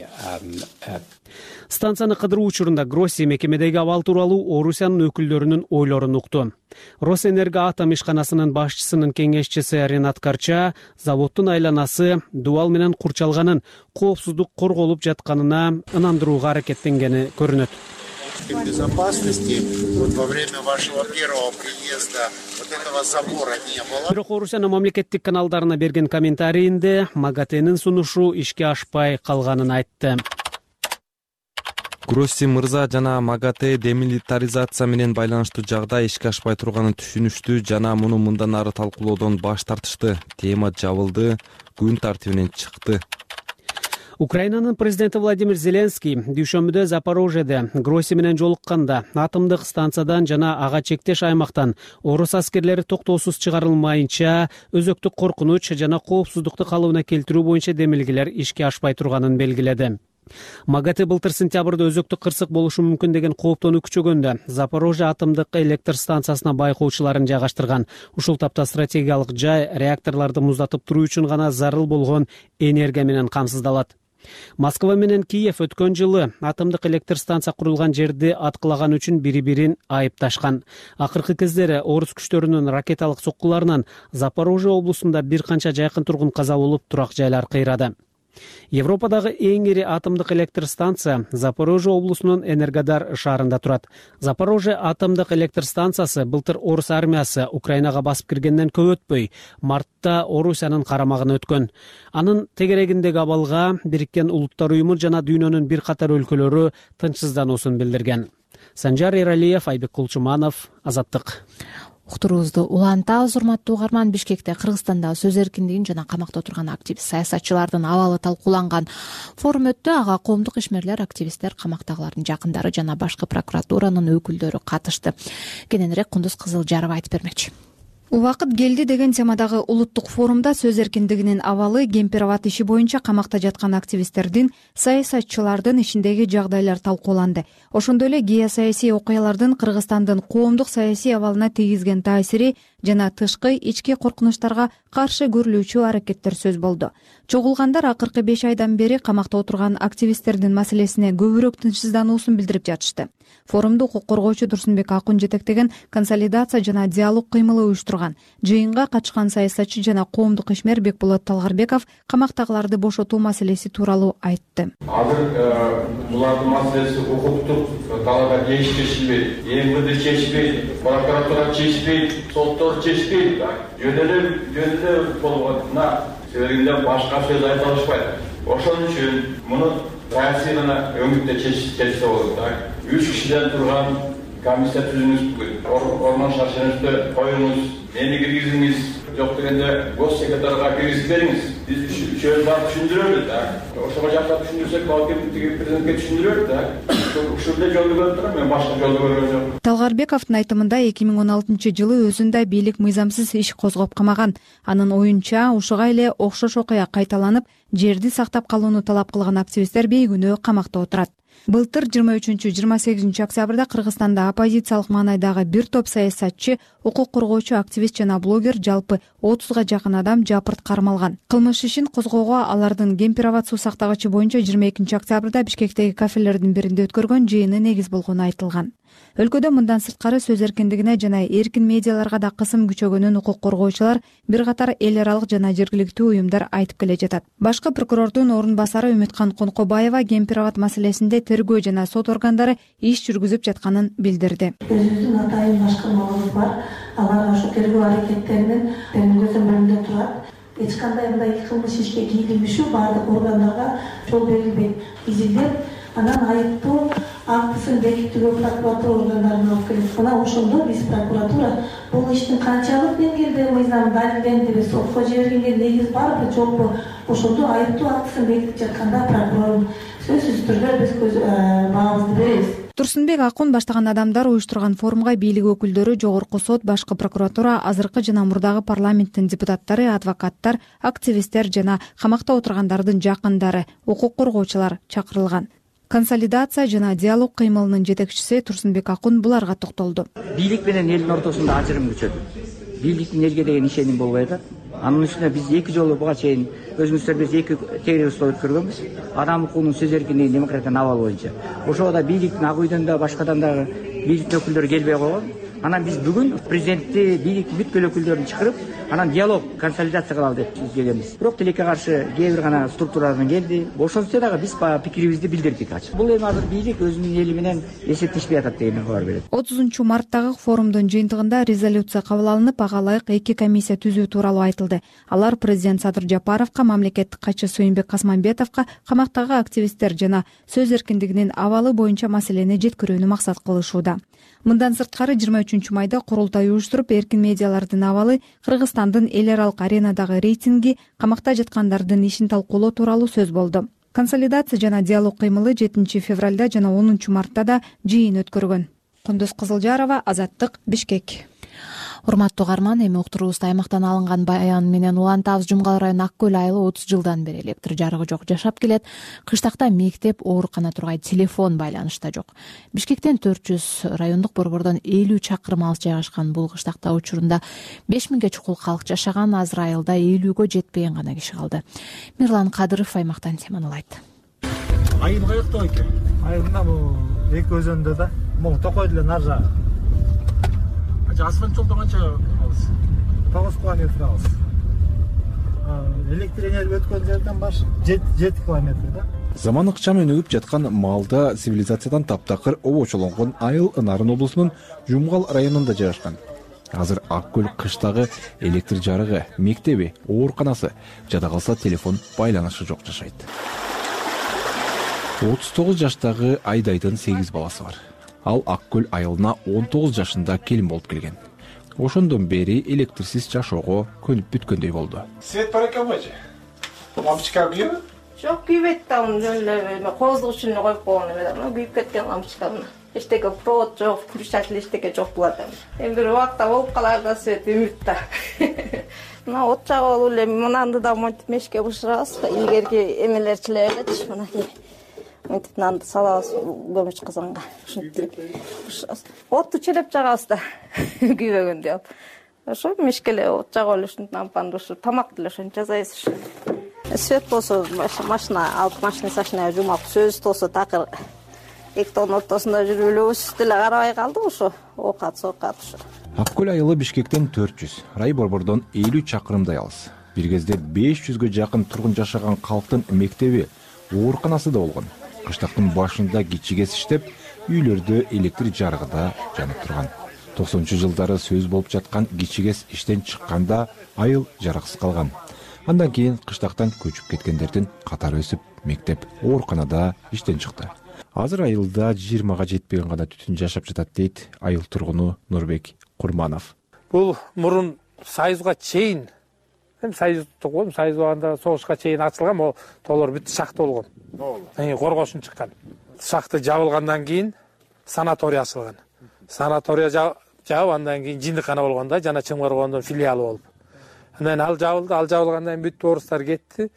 Станцияны кыдыруу учурунда Гросси мекемедеги абал тууралуу Орусиянын өкүлдөрүнүн ойлорун укту. Росэнерго атом ишканасынын башчысынын кеңешчиси Ренат Карча заводдун айланасы дубал менен курчалганын, коопсуздук корголуп жатканына ынандырууга аракеттенгени көрүнөт. Безопасности вот во время вашего первого приезда вот этого забора не было. Бирок Орусиянын мамлекеттик каналдарына берген комментарийинде МАГАТЭнин сунушу ишке ашпай калганын айтты. Гросси мырза жана МАГАТЭ демилитаризация менен байланыштуу жагдай ишке ашпай турганын түшүнүштү жана муну мындан ары талкуулоодон баш тартышты. Тема жабылды, күн тартибинен чыкты. Украинанын президенти Владимир Зеленский дүйшөмбүдө Запорожьеде Гросси менен жолукканда атомдук станциядан жана ага чектеш аймактан орус аскерлери токтоосуз чыгарылмайынча өзөктүк коркунуч жана коопсуздукту калыбына келтирүү боюнча демилгелер ишке ашпай турганын белгиледи. МАГАТЭ былтыр сентябрда өзөктүк кырсык болушу мүмкүн деген кооптонуу күчөгөндө Запорожье атомдук электр станциясына байкоочуларын жайгаштырган. Ушул тапта стратегиялык жай реакторлорду муздатып туруу үчүн гана зарыл болгон энергия менен камсыздалат. Москва менен Киев өткөн жылы атомдук электр станция курулган жерди аткылаган үчүн бири-бирин айыпташкан. Акыркы кездери орус күчтөрүнүн ракеталык соккуларынан Запорожье облусунда бир канча жайкын тургун каза болуп, турак жайлар кыйрады. Европадагы эң ири атомдук электр станция Запорожье облусунун Энергодар шаарында турат. Запорожье атомдук электр станциясы былтыр орус армиясы Украинага басып киргенден көп өтпөй мартта Орусиянын карамагына өткөн. Анын тегерегиндеги абалга Бириккен Улуттар уюму жана дүйнөнүн бир катар өлкөлөрү тынчсыздануусун билдирген. Санжар Эралиев, Айбек Кулчуманов, Азаттык. Уктуруубузду улантабыз, урматтуу угарман. Бишкекте Кыргызстанда сөз эркиндигин жана камакта отурган активист саясатчылардын абалы талкууланган форум өттү. Ага коомдук ишмерлер, активисттер, камактагылардын жакындары жана башкы прокуратуранын өкүлдөрү катышты. Кененирээк Кундуз Кызылжарова айтып бермекчи. Убакыт келди деген темадагы улуттук форумда сөз эркиндигинин абалы, Кемпир-Абад иши боюнча камакта жаткан активисттердин, саясатчылардын ишиндеги жагдайлар талкууланды. Ошондой эле геосаясий окуялардын Кыргызстандын коомдук саясий абалына тийгизген таасири жана тышкы ички коркунучтарга каршы көрүлүүчү аракеттер сөз болду. Чогулгандар акыркы беш айдан бери камакта отурган активисттердин маселесине көбүрөөк тынчсыздануусун билдирип жатышты. Форумду укук коргоочу Турсунбек Акун жетектеген консолидация жана диалог кыймылы уюштурган. Жыйынга катышкан саясатчы жана коомдук ишмер Бекболот Талгарбеков камактагыларды бошотуу маселеси тууралуу айтты. Азыр булардын маселеси укуктук талаптар чечилбейт, МВД чечилбейт, прокуратура чечилбейт, соттор чечилбейт. Жөн эле жөн эле болгонуна себебинде башка сөз айта алышпайт. Ошон үчүн муну таасирина өңүттө чечсе болот. Үч кишиден турган комиссия түзүңүз бүгүн. Орман шаршенибизди коюңуз, мени киргизиңиз, жок дегенде гос секретарга киргизип бериңиз. Биз үчөөбүз барып түшүндүрөлү да. Ошого жакта түшүндүрсөк, балким президентке түшүндүрөлү да. Ушул эле жолду көрүп турам, мен башка жолду көргөн жок. Талгарбековдун айтымында эки миң он алтынчы жылы өзүндө бийлик мыйзамсыз иш козгоп камаган. Анын оюнча ушуга эле окшош окуя кайталанып, жерди сактап калууну талап кылган активисттер бейгүнөө камакта отурат. Былтыр жыйырма үчүнчү жыйырма сегизинчи октябрда Кыргызстанда оппозициялык маанайдагы бир топ саясатчы, укук коргоочу, активист жана блогер жалпы отузга жакын адам жапырт кармалган. Кылмыш ишин козгоого алардын Кемпир-Абад суу сактагычы боюнча жыйырма экинчи октябрда Бишкектеги кафелердин биринде өткөргөн жыйыны негиз болгону айтылган. Өлкөдө мындан сырткары сөз эркиндигине жана эркин медиаларга да кысым күчөгөнүн укук коргоочулар, бир катар эл аралык жана жергиликтүү уюмдар айтып келе жатат. Башкы прокурордун орун басары Үмүткан Конкобаева Кемпир-Абад маселесинде тергөө жана сот органдары иш жүргүзүп жатканын билдирди. Өзүбүздүн атайын башкармаларыбыз бар. Алар ошо тергөө аракеттеринин көзөм бөлүндө турат. Эч кандай мындай кылмыш ишке кийлигишүү баардык органдарга жол берилбейт. Изилдеп, анан айыптуу актысын бекитүүгө прокуратура органдарына алып келет. Мына ошондо биз прокуратура бул иштин канчалык деңгээлде мыйзам далилденди, сотко жибергенге негиз барбы, жокпу, ошондо айыптуу актысын бекитип жатканда прокурор сөзсүз түрдө биз көз баабызды беребиз. Турсунбек Акун баштаган адамдар уюштурган форумга бийлик өкүлдөрү, жогорку сот, башкы прокуратура, азыркы жана мурдагы парламенттин депутаттары, адвокаттар, активисттер жана камакта отургандардын жакындары, укук коргоочулар чакырылган. Консолидация жана диалог кыймылынын жетекчиси Турсунбек Акун буларга токтолду. Бийлик менен элдин ортосунда ажырым күчөдү. Бийликтин элге деген ишеним болбой атат. Анын үстүнө биз эки жолу буга чейин өзүңүздөр биз эки тегеребиз өткөргөнбүз. Адам укугунун сөз эркиндигин, демократиянын абалы боюнча. Ошого да бийликтин ак үйдөн да башкадан дагы бийликтин өкүлдөрү келбей койгон. Анан биз бүгүн президентти, бийликтин бүткүл өкүлдөрүн чакырып, анан диалог консолидация кылалы деп келебиз. Бирок тилекке каршы кээ бир гана структуралардан келди. Ошентсе дагы биз баягы пикирибизди билдирдик ачык. Бул эми азыр бийлик өзүнүн эли менен эсептешпей атат деген кабар берет. отузунчу марттагы форумдун жыйынтыгында резолюция кабыл алынып, ага ылайык эки комиссия түзүү тууралуу айтылды. Алар президент Садыр Жапаровго, мамлекеттик катчы Сүйүнбек Касманбетовго камактагы активисттер жана сөз эркиндигинин абалы боюнча маселени жеткирүүнү максат кылышууда. Мындан сырткары жыйырма үчүнчү майда курултай уюштуруп, эркин медиалардын абалы, Кыргызстандын эл аралык аренадагы рейтинги, камакта жаткандардын ишин талкуулоо тууралуу сөз болду. Консолидация жана диалог кыймылы жетинчи февралда жана онунчу мартта да жыйын өткөргөн. Кундуз Кызылжарова, Азаттык, Бишкек. Урматтуу угарман, эми уктуруубузда аймактан алынган баян менен улантабыз. Жумгал району Ак көл айылы отуз жылдан бери электр жарыгы жок жашап келет. Кыштакта мектеп, оорукана тургай, телефон байланышта жок. Бишкектен төрт жүз, райондук борбордон элүү чакырым алыс жайгашкан бул кыштакта учурунда беш миңге чукул калк жашаган. Азыр айылда элүүгө жетпеген гана киши калды. Мирлан Кадыров аймактан теманылайт. Айыл каякта экен? Айылда бул эки өзөндө да, бул Токой деле нар жагы. Асфальт жолдон канча алыс? тогуз километр алыс. Электр энергия өткөн жерден баш жети километр да. Заман ыкчам өнүгүп жаткан маалда цивилизациядан таптакыр обочолонгон айыл Нарын облусунун Жумгал районунда жайгашкан. Азыр Ак көл кыштагы электр жарыгы, мектеби, ооруканасы, жада калса телефон байланышы жок жашайт. отуз тогуз жаштагы Айдайдын сегиз баласы бар. Ал Ак көл айылына он тогуз жашында келин болуп келген. Ошондон бери электрсиз жашоого көнүп бүткөндөй болду. Свет бар экенби же? Лампочка күйөбү? Жок, күйбөйт да, жөн эле кооздук үчүн коюп койгон эме. Күйүп кеткен лампочка. Эчтеке провод жок, включатель эчтеке жок булат эми. Эми бир убакта болуп калар да свет үмүт да. Мына от жагып эле мынанды да монтип мешке бышырабыз. Илгерки эмелерчилер элечи мынакей. Монтип нанды салабыз көмүч казанга. Ушинтип бышырабыз. Отту челеп жагабыз да. Күйбөгөндү алып. Ошо мешкеле от жагып эле ушинтип лампаны ушу тамак деле ошентип жасайбыз. Свет болсо машина алып машина сашына жумап, сөз болсо такыр эки тоонун ортосунда жүрүп эле өз деле карабай калдык ошо. Оокат, соокат ошо. Ак көл айылы Бишкектен төрт жүз, рай борбордон элүү чакырымдай алыс. Бир кезде беш жүзгө жакын тургун жашаган калктын мектеби, ооруканасы да болгон. Кыштактын башында кичигес иштеп, үйлөрдө электр жарыгы да жанып турган. токсонунчу жылдары сөз болуп жаткан кичигес иштен чыкканда айыл жарыксыз калган. Андан кийин кыштактан көчүп кеткендердин катары өсүп, мектеп, ооруканада иштен чыкты. Азыр айылда жыйырмага жетпеген гана түтүн жашап жатат дейт айыл тургуну Нурбек Курманов. Бул мурун Союзга чейин, эми Союздук болгон, Союз убагында согушка чейин ачылган, могу толор бүт шахта болгон. Эми коргошун чыккан. Шахта жабылгандан кийин санаторий ачылган. Санатория жабып, андан кийин жиндиккана болгон да, жана Чыңгыргондун филиалы болуп. Андан ал жабылды, ал жабылгандан кийин бүт орустар кетти.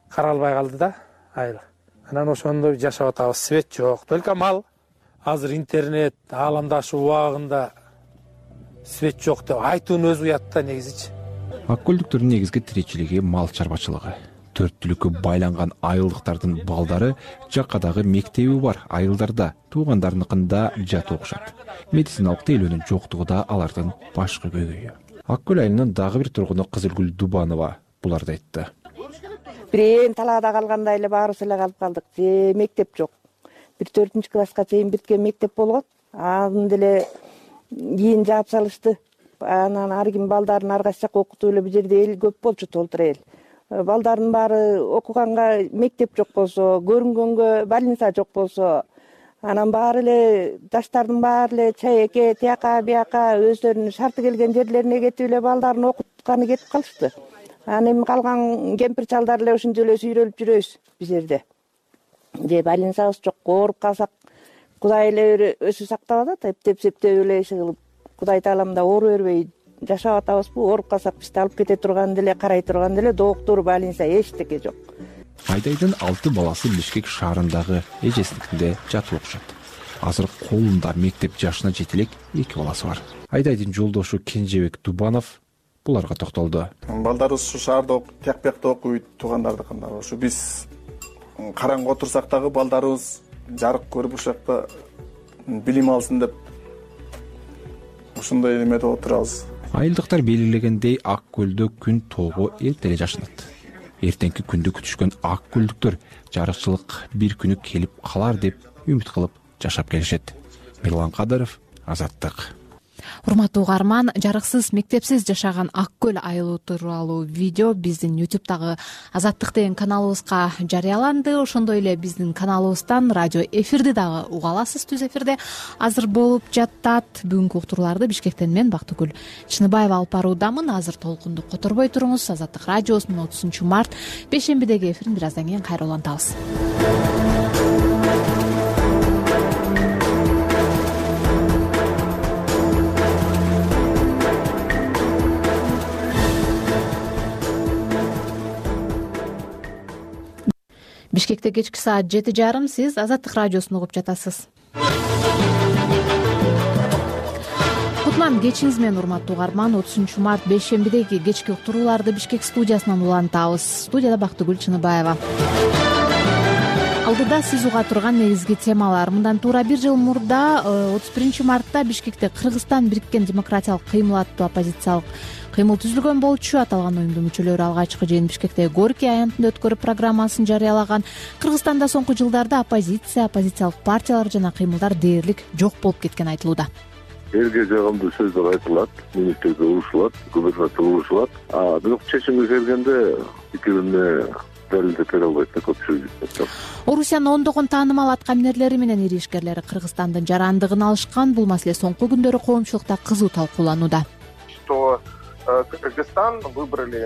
Каралбай калды да айыл. Анан ошондо жашап атабыз. Свет жок, только мал. Азыр интернет ааламдашы убагында свет жок деп айтуунун өзү уят да негизичи. Ак көлдүктөрдүн негизги тиричилиги мал чарбачылыгы. Төрт түлүккө байланган айылдыктардын балдары жакадагы мектеби бар айылдарда, туугандарыныкында жат окушат. Медициналык тейлөөнүн жоктугу да алардын башкы көйгөйү. Ак көл айылынын дагы бир тургуну Кызылгүл Дубанова буларды айтты. Бирен талаада калгандай эле баарыбыз эле калып калдык. Же мектеп жок. Бир төртүнчү класска чейин биткен мектеп болгон. Аны деле кийин жаап салышты. Анан ар ким балдарын ар кайсы жака окутуп эле бул жерде эл көп болчу, толтур эл. Балдардын баары окуганга мектеп жок болсо, көрүнгөнгө больница жок болсо, анан баары эле жаштардын баары эле чайеке, тияка, бияка өздөрүнүн шарты келген жерлерине кетип эле балдарын окутканы кетип калышты. Анан эми калган кемпир чалдар эле ушинтип эле сүйрөлүп жүрөбүз бул жерде. Же больницабыз жок, ооруп калсак Кудай эле өзү сактап атат, эптеп-септеп эле иш кылып, Кудай таалам да оору бербей жашап атабызбы, ооруп калсак бизди алып кете турган деле, карай турган деле доктур, больница эчтеке жок. Айдайдын алты баласы Бишкек шаарындагы эжесиникинде жатып окушат. Азыр колунда мектеп жашына жете элек эки баласы бар. Айдайдын жолдошу Кенжебек Дубанов буларга токтолду. Балдарыбыз ушу шаарда тияк-биякта окуйт, туугандардыкында. Ушу биз караңгы отурсак дагы балдарыбыз жарык көрүп ушул жакта билим алсын деп ушундай эмеде отурабыз. Айылдыктар белгилегендей Ак көлдө күн тоого эрте эле жашынат. Эртеңки күндү күтүшкөн ак көлдүктөр жарыкчылык бир күнү келип калар деп үмүт кылып жашап келишет. Мирлан Кадыров, Азаттык. Урматтуу угарман, жарыксыз, мектепсиз жашаган Ак көл айылы тууралуу видео биздин ютубтагы Азаттык деген каналыбызга жарыяланды. Ошондой эле биздин каналыбыздан радио эфирди дагы уга аласыз. Түз эфирде азыр болуп жатат. Бүгүнкү уктурууларды Бишкектен мен Бактыгүл Чыныбаева алып баруудамын. Азыр толкунду которбой туруңуз. Азаттык радиосунун отузунчу март бейшембидеги эфирин бир аздан кийин кайра улантабыз. Бишкекте кечки саат жети жарым, сиз Азаттык радиосун угуп жатасыз. Кутман кечиңиз менен, урматтуу угарман. отузунчу март бейшембидеги кечки уктурууларды Бишкек студиясынан улантабыз. Студияда Бактыгүл Чыныбаева. Алдыда сиз уга турган негизги темалар. Мындан туура бир жыл мурда отуз биринчи мартта Бишкекте Кыргызстан бириккен демократиялык кыймыл аттуу оппозициялык кыймыл түзүлгөн болчу. Аталган уюмдун мүчөлөрү алгачкы жыйын Бишкектеги Горький аянтында өткөрүп программасын жарыялаган. Кыргызстанда соңку жылдарда оппозиция, оппозициялык партиялар жана кыймылдар дээрлик жок болуп кеткен айтылууда. Элге жагымдуу сөздөр айтылат, министрге урушулат, губернатор урушулат. А бирок чечимге келгенде пикирине далилдеп бере албайт да көпчүлүк. Орусиянын ондогон таанымал аткаминерлери менен ири ишкерлери Кыргызстандын жарандыгын алышкан. Бул маселе соңку күндөрү коомчулукта кызуу талкууланууда. Что Кыргызстан выбрали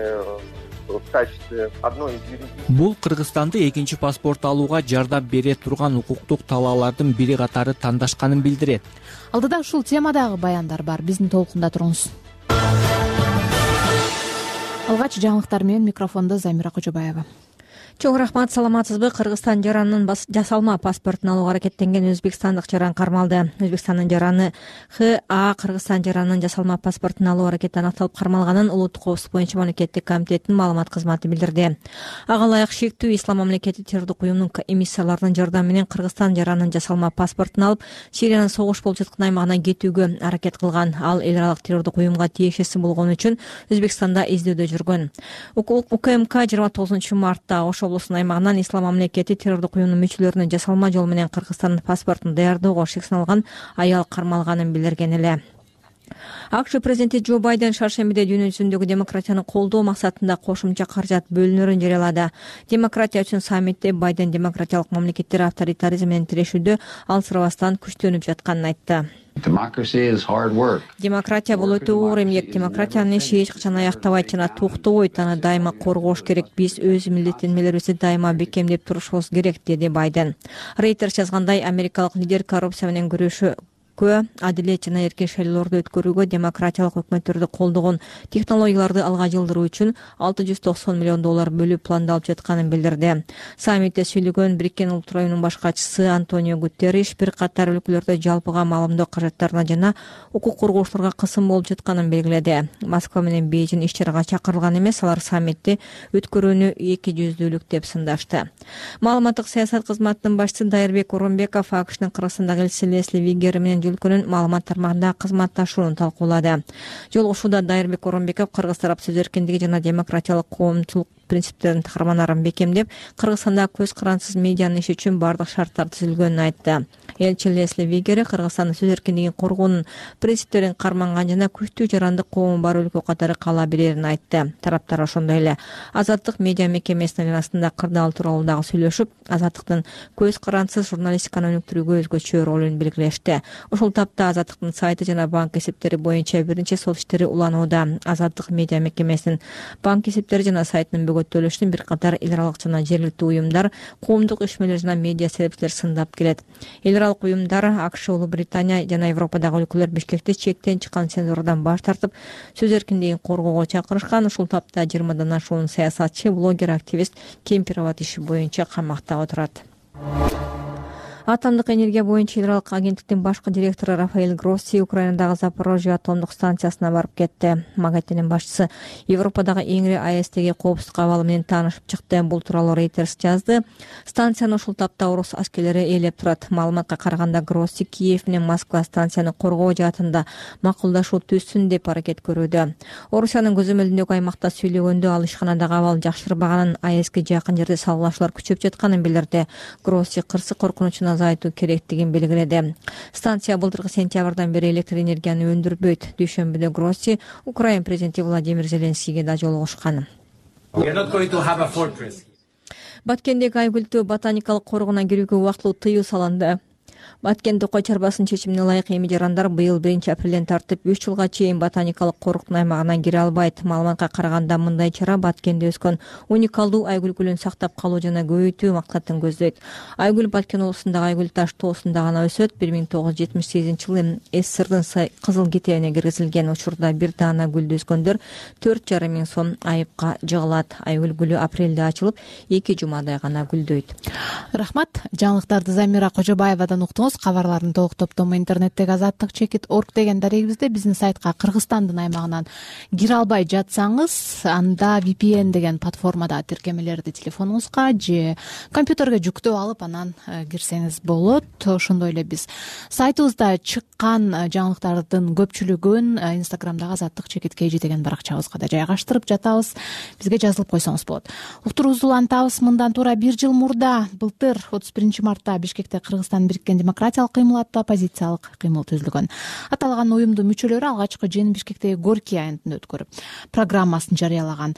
в качестве одной из юридических. Бул Кыргызстанды экинчи паспорт алууга жардам бере турган укуктук талаалардын бири катары тандашканын билдирет. Алдыда ушул темадагы баяндар бар. Биздин толкунда туруңуз. Алгач жаңылыктар менен микрофондо Замира Кожобаева. Чоң рахмат, саламатсызбы? Кыргызстан жаранынын жасалма паспортун алууга аракеттенген өзбекстандык жаран кармалды. Өзбекстандын жараны Х А Кыргызстан жаранынын жасалма паспортун алуу аракети аныкталып кармалганын Улуттук коопсуздук боюнча мамлекеттик комитеттин маалымат кызматы билдирди. Ага ылайык шектүү ислам мамлекети террордук уюмунун эмиссияларынын жардамы менен Кыргызстан жаранынын жасалма паспортун алып, Сириянын согуш болуп жаткан аймагына кетүүгө аракет кылган. Ал эл аралык террордук уюмга тиешеси болгон үчүн Өзбекстанда издөөдө жүргөн. УКМК жыйырма тогузунчу мартта Ош облусунун аймагынан ислам мамлекети террордук уюмунун мүчөлөрүнүн жасалма жол менен Кыргызстандын паспортун даярдоого шек салган аял кармалганын билдирген эле. АКШ президенти Джо Байден шаршембиде дүйнө жүзүндөгү демократияны колдоо максатында кошумча каражат бөлүнөрүн жарыялады. Демократия үчүн саммитте Байден демократиялык мамлекеттер авторитаризм менен тирешүүдө алсырабастан күчтөнүп жатканын айтты. Демократия бул өтө оор эмгек. Демократиянын иши эч качан аяктабайт жана токтобойт. Аны дайыма коргош керек. Биз өз милдеттенмелерибизди дайыма бекемдеп турушубуз керек, деди Байден. Reuters жазгандай, америкалык лидер коррупция менен күрөшүү адилет жана эркин шайлоолорду өткөрүүгө демократиялык өкмөттөрдү колдогон технологияларды алга жылдыруу үчүн алты жүз токсон миллион доллар бөлүп пландалып жатканын билдирди. Саммитте сүйлөгөн Бириккен Улуттар уюмунун башкачысы Антонио Гутерриш бир катар өлкөлөрдө жалпыга маалымдоо каражаттарына жана укук коргоочуларга кысым болуп жатканын белгиледи. Москва менен Бейжин иш чарага чакырылган эмес, алар саммитти өткөрүүнү эки жүздүүлүк деп сындашты. Маалыматтык саясат кызматынын башчысы Дайырбек Оронбеков АКШнын Кыргызстандагы элчиси Лесли Вигер менен өлкөнүн маалымат тармагында кызматташууну талкуулады. Жолугушууда Дайырбек Оронбеков кыргыз тарап сөз эркиндиги жана демократиялык коомчулук принциптерин каарманарын бекемдеп, Кыргызстанда көз карансыз медианын иши үчүн бардык шарттар түзүлгөнүн айтты. Элчи Лесли Вигер Кыргызстандын сөз эркиндигин коргоонун принциптерин карманган жана күчтүү жарандык коому бар өлкө катары кала берерин айтты. Тараптар ошондой эле Азаттык медиа мекемесинин арасында кырдаал тууралуу дагы сүйлөшүп, Азаттыктын көз карансыз журналистиканы өнүктүрүүгө өзгөчө ролун белгилешти. Ошол тапта Азаттыктын сайты жана банк эсептери боюнча биринчи сот иштери уланууда. Азаттык медиа мекемесинин банк эсептери жана сайтынын бөгөттөлүшүн бир катар эл аралык жана жергиликтүү уюмдар, коомдук ишмерлер жана медиа сервистер сындап келет. Эл аралык уюмдар АКШ, Улуу Британия жана Европадагы өлкөлөр Бишкекти чектен чыккан цензурадан баш тартып, сөз эркиндигин коргоого чакырышкан. Ушул тапта жыйырмадан ашуун саясатчы, блогер, активист Кемпирабад иши боюнча камакта отурат. Атомдук энергия боюнча эл аралык агенттиктин башкы директору Рафаэль Гросси Украинадагы Запорожье атомдук станциясына барып кетти. Магатенин башчысы Европадагы эң ири АЭСтеги коопсуздук абалы менен таанышып чыкты. Бул тууралуу Reuters жазды. Станцияны ушул тапта орус аскерлери ээлеп турат. Маалыматка караганда Гросси Киев менен Москва станцияны коргоо жаатында макулдашуу түзсүн деп аракет көрүүдө. Орусиянын көзөмөлүндөгү аймакта сүйлөгөндө ал ишканадагы абал жакшырбаганын, АЭСке жакын жерде салгылашуулар күчөп жатканын билдирди. Гросси кырсык коркунучун азайтуу керектигин белгиледи. Станция былтыркы сентябрдан бери электр энергияны өндүрбөйт. Дүйшөмбүдө Гросси Украина президенти Владимир Зеленскийге да жолугушкан. Баткендеги Айгүлтүү ботаникалык коргоуна кирүүгө убактылуу тыюу салынды. Баткен Токой чарбасынын чечимине ылайык эми жарандар быйыл биринчи апрелден тартып үч жылга чейин ботаникалык корктун аймагына кире албайт. Маалыматка караганда мындай чара Баткенде өскөн уникалдуу айгүл гүлүн сактап калуу жана көбөйтүү максатын көздөйт. Айгүл Баткен облусундагы Айгүл таш тоосунда гана өсөт. бир миң тогуз жүз жетимиш сегизинчи жылы СССРдын кызыл китебине киргизилген. Учурда бир даана гүлдү өскөндөр төрт жарым миң сом айыпка жыгылат. Айгүл гүлү апрелде ачылып, эки жумадай гана гүлдөйт. Рахмат. Жаңылыктарды Замира Кожобаевадан уктуңуз. Кабарлардын толук топтому интернеттеги азаттык чекит орг деген дарегибизде. Биздин сайтка Кыргызстандын аймагынан кире албай жатсаңыз, анда ви пи эн деген платформада тиркемелерди телефонуңузга же компьютерге жүктөп алып анан кирсеңиз болот. Ошондой эле биз сайтыбызда чыккан жаңылыктардын көпчүлүгүн Инстаграмдагы азаттык чекит kg деген баракчабызга да жайгаштырып жатабыз. Бизге жазылып койсоңуз болот. Уктуруубузду улантабыз. Мындан туура бир жыл мурда, былтыр отуз биринчи мартта Бишкекте Кыргызстан бириккен демократиялык кыймыл аттуу оппозициялык кыймыл түзүлгөн. Аталган уюмдун мүчөлөрү алгачкы жыйын Бишкектеги Горький айылында өткөрүп, программасын жарыялаган.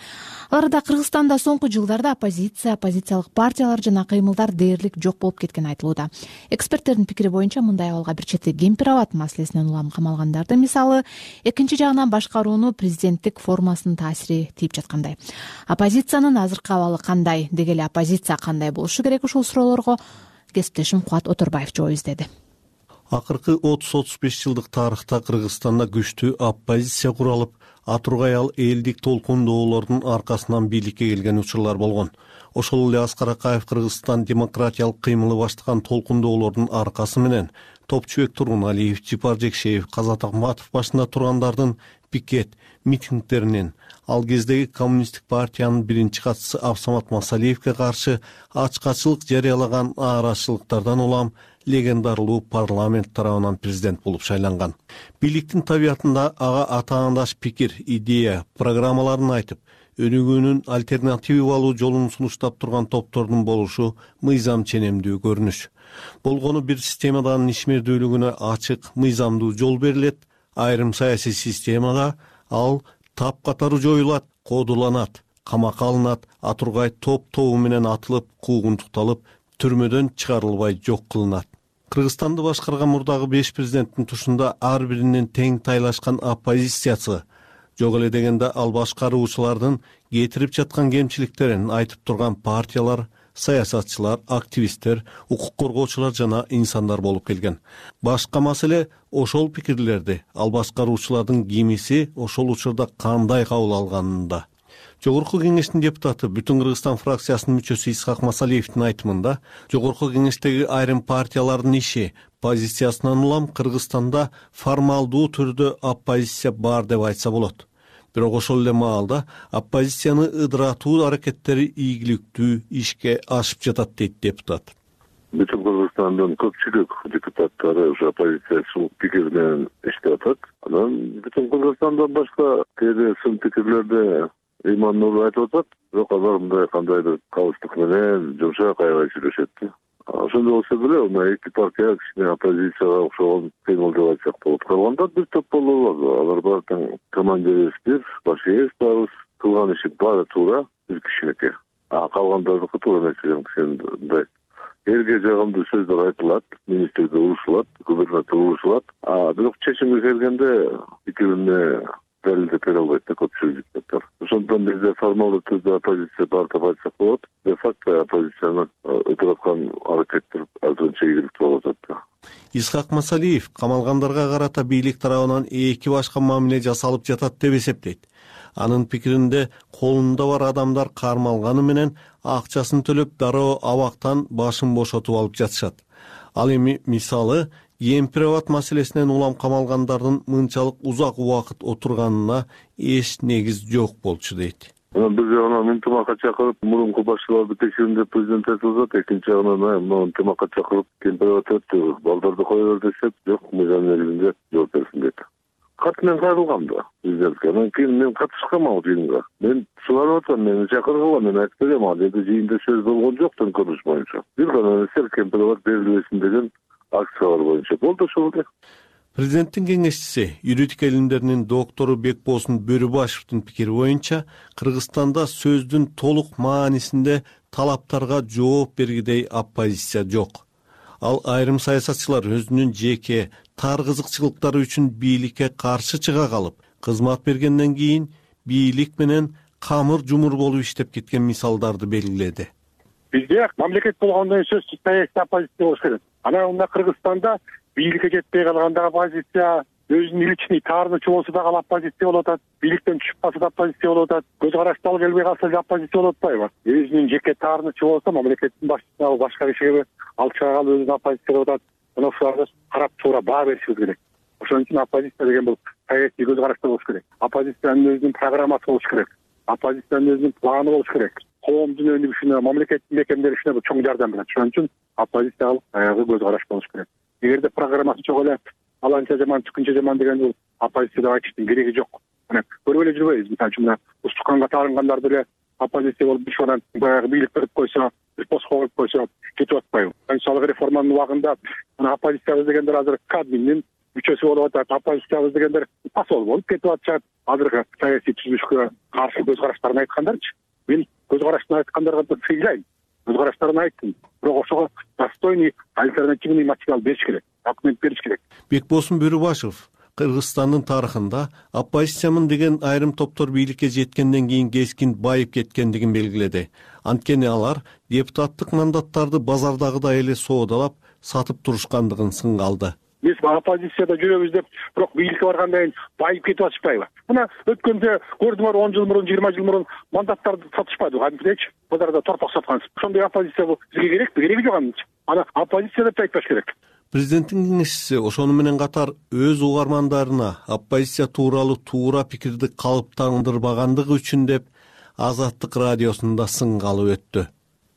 Аларда Кыргызстанда соңку жылдарда оппозиция, оппозициялык партиялар жана кыймылдар дээрлик жок болуп кеткени айтылууда. Эксперттердин пикири боюнча мындай абалга бир чети Кемпир-Абад маселесинен улам камалгандарды мисалы, экинчи жагынан башкарууну президенттик формасынын таасири тийип жаткандай. Оппозициянын азыркы абалы кандай, деги эле оппозиция кандай болушу керек, ушул суроолорго кесиптешим Кубат Оторбаев жооп издеди. Акыркы отуз отуз беш жылдык тарыхта Кыргызстанда күчтүү оппозиция куралып, атургай ал элдик толкундоолордун аркасынан бийликке келген учурлар болгон. Ошол эле Аскар Акаев Кыргызстан демократиялык кыймылы баштаган толкундоолордун аркасы менен Топчубек Тургуналиев, Жипар Жекшеев, Казат Акматов башында тургандардын пикет, митингдеринен, ал кездеги коммунисттик партиянын биринчи катчысы Абсамат Масалиевке каршы ачкачылык жарыялаган нааразычылыктардан улам легендарлуу парламент тарабынан президент болуп шайланган. Бийликтин табиятында ага атаандаш пикир, идея, программаларын айтып, өнүгүүнүн альтернативалуу жолун сунуштап турган топтордун болушу мыйзам ченемдүү көрүнүш. Болгону бир системадан ишмердүүлүгүнө ачык, мыйзамдуу жол берилет, айрым саясий системада ал тапкатары жоюлат, кодуланат, камакка алынат, атургай топ-тобу менен атылып, куугунтукталып, түрмөдөн чыгарылбай жок кылынат. Кыргызстанды башкарган мурдагы беш президенттин тушунда ар биринин тең тайлашкан оппозициясы, жок эле дегенде ал башкаруучулардын кетирип жаткан кемчиликтерин айтып турган партиялар, саясатчылар, активисттер, укук коргоочулар жана инсандар болуп келген. Башка маселе ошол пикирлерди ал башкаруучулардын кимиси ошол учурда кандай кабыл алганында. Жогорку кеңештин депутаты, Бүтүн Кыргызстан фракциясынын мүчөсү Исхак Масалиевдин айтымында, жогорку кеңештеги айрым партиялардын иши, позициясынан улам Кыргызстанда формалдуу түрдө оппозиция бар деп айтса болот. Бирок ошол эле маалда оппозицияны ыдыратуу аракеттери ийгиликтүү ишке ашып жатат дейт депутат. Бүтүн Кыргызстандын көпчүлүк депутаттары ушу оппозициячылык пикир менен иштеп атат. Анан Бүтүн Кыргызстандан башка кээде сын пикирлерде Иман Нур айтып атат, бирок алар мындай кандайдыр калыстык менен жумшак аябай сүйлөшөт. Ошондой болсо деле, мына эки партия кичине оппозицияга окшогон кыймыл деп айтсак болот. Калганда бир топ болот. Алар баары тең командирибиз бир, башыбыз барбыз, кылган иши баары туура бир кишинеки. А калгандардыкы туура эмес деген мындай. Элге жагымдуу сөздөр айтылат, министрге урушулат, губернатор урушулат. А бирок чечимге келгенде пикирине далилдеп бере албайт да көпчүлүк депутаттар. Ошондон бизде формалдуу түрдө оппозиция бар деп айтсак болот. Де факто оппозицияны өтүп аткан аракеттер азырынча ийгиликтүү болуп атат. Исхак Масалиев камалгандарга карата бийлик тарабынан эки башка мамиле жасалып жатат деп эсептейт. Анын пикиринде колунда бар адамдар кармалганы менен акчасын төлөп дароо абактан башын бошотуп алып жатышат. Ал эми мисалы Гемпирабад маселесинен улам камалгандардын мынчалык узак убакыт отурганына эч негиз жок болчу дейт. Бир жагынан интимакка чакырып, мурунку башчыларды текшерин деп президент айтып атат. Экинчи жагынан мына интимакка чакырып, Гемпирабад өттү, балдарды кое бер десек, жок, мыйзам негизинде жооп берсин дейт. Кат менен кайрылгам да президентке. Анан кийин мен катышкам ал жыйынга. Мен сурап атам, мени чакыргыла, мен айтып берем, ал жерде жыйында сөз болгон жок төңкөрүш боюнча. Бир гана нерсе Гемпирабад берилбесин деген акциялар боюнча болду ошол эле. Президенттин кеңешчиси, юридика илимдеринин доктору Бекболсун Бөрүбашевдин пикири боюнча, Кыргызстанда сөздүн толук маанисинде талаптарга жооп бергидей оппозиция жок. Ал айрым саясатчылар өзүнүн жеке тар кызыкчылыктары үчүн бийликке каршы чыга калып, кызмат бергенден кийин бийлик менен камыр жумур болуп иштеп кеткен мисалдарды белгиледи. Бизде мамлекет болгондон кийин сөзсүз саясий оппозиция болуш керек. Анан мына Кыргызстанда бийликке жетпей калган дагы оппозиция, өзүнүн личный таарынычы болсо дагы оппозиция болуп атат, бийликтен түшүп калса да оппозиция болуп атат, көз карашты алып келбей калса да оппозиция болуп атпайбы? Өзүнүн жеке таарынычы болсо мамлекеттин башчысына башка кишиге алып чыга калып өзүнүн оппозиция болуп атат. Мына ушуларды карап туура баа беришибиз керек. Ошон үчүн оппозиция деген бул саясий көз карашты болуш керек. Оппозициянын өзүнүн программасы болуш керек. Оппозициянын өзүнүн планы болуш керек. Коомдун өнүгүшүнө, мамлекеттин бекемделишине бул чоң жардам берет. Ошон үчүн оппозициялык аягы көз караш болуш керек. Эгерде программасы жок эле аланча жаман, тикинче жаман деген бул оппозицияда айтыштын кереги жок. Мына көрүп эле жүрбөйбүз. Мисалы үчүн мына устуканга таангандар деле оппозиция болуп ишанан баягы бийлик берип койсо, бир постко коюп койсо кетип атпайбы? Конституциялык реформанын убагында мына оппозициябыз дегендер азыр Кадминдин мүчөсү болуп атат, оппозициябыз дегендер посол болуп кетип атышат. Азыркы саясий түзүлүшкө каршы көз караштарын айткандарчы. Мен көз караштарын айткандарга да сыйлайм. Көз караштарын айттым. Бирок ошого достойный альтернативный материал бериш керек, документ бериш керек. Бекболсун Бөрүбашев Кыргызстандын тарыхында оппозициямын деген айрым топтор бийликке жеткенден кийин кескин байып кеткендигин белгиледи. Анткени алар депутаттык мандаттарды базардагыдай эле соодалап, сатып турушкандыгын сынга алды. Биз оппозицияда жүрөбүз деп, бирок бийликке баргандан кийин байып кетип атышпайбы? Мына өткөндө көрдүңөр он жыл мурун, жыйырма жыл мурун мандаттарды сатышпады, кантипчи? Базарда торпок саткансыз. Ошондой оппозиция бул бизге керекпи? Кереги жок анычы. Ана оппозиция деп айтпаш керек. Президенттин кеңешчиси ошону менен катар өз угармандарына оппозиция тууралуу туура пикирди калыптандырбагандыгы үчүн деп Азаттык радиосунда сынга алып өттү.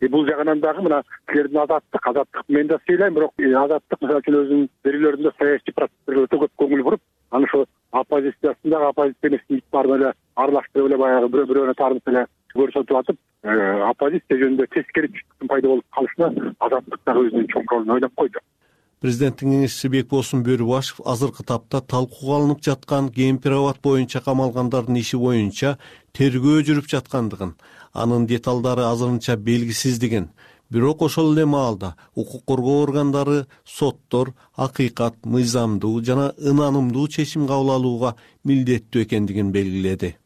И бул жагынан дагы мына силердин азаттык, азаттык мен да сыйлайм, бирок азаттык мисалы үчүн өзүнүн берүүлөрүндө саясий процесстерге өтө көп көңүл буруп, аны ошо оппозициясындагы оппозиционисттин баарын эле аралаштырып эле баягы бирөө бирөөнө таарынып эле көрсөтүп атып, оппозиция жөнүндө тескери түшүнүктүн пайда болуп калышына азаттык дагы өзүнүн чоң ролун ойноп койду. Президенттин кеңешчиси Бекболсун Бөрүбашев азыркы тапта талкууга алынып жаткан Гемпирабад боюнча камалгандардын иши боюнча тергөө жүрүп жаткандыгын, анын деталдары азырынча белгисиздигин, бирок ошол эле маалда укук коргоо органдары соттор акыйкат, мыйзамдуу жана ынанымдуу чечим кабыл алууга милдеттүү экендигин белгиледи.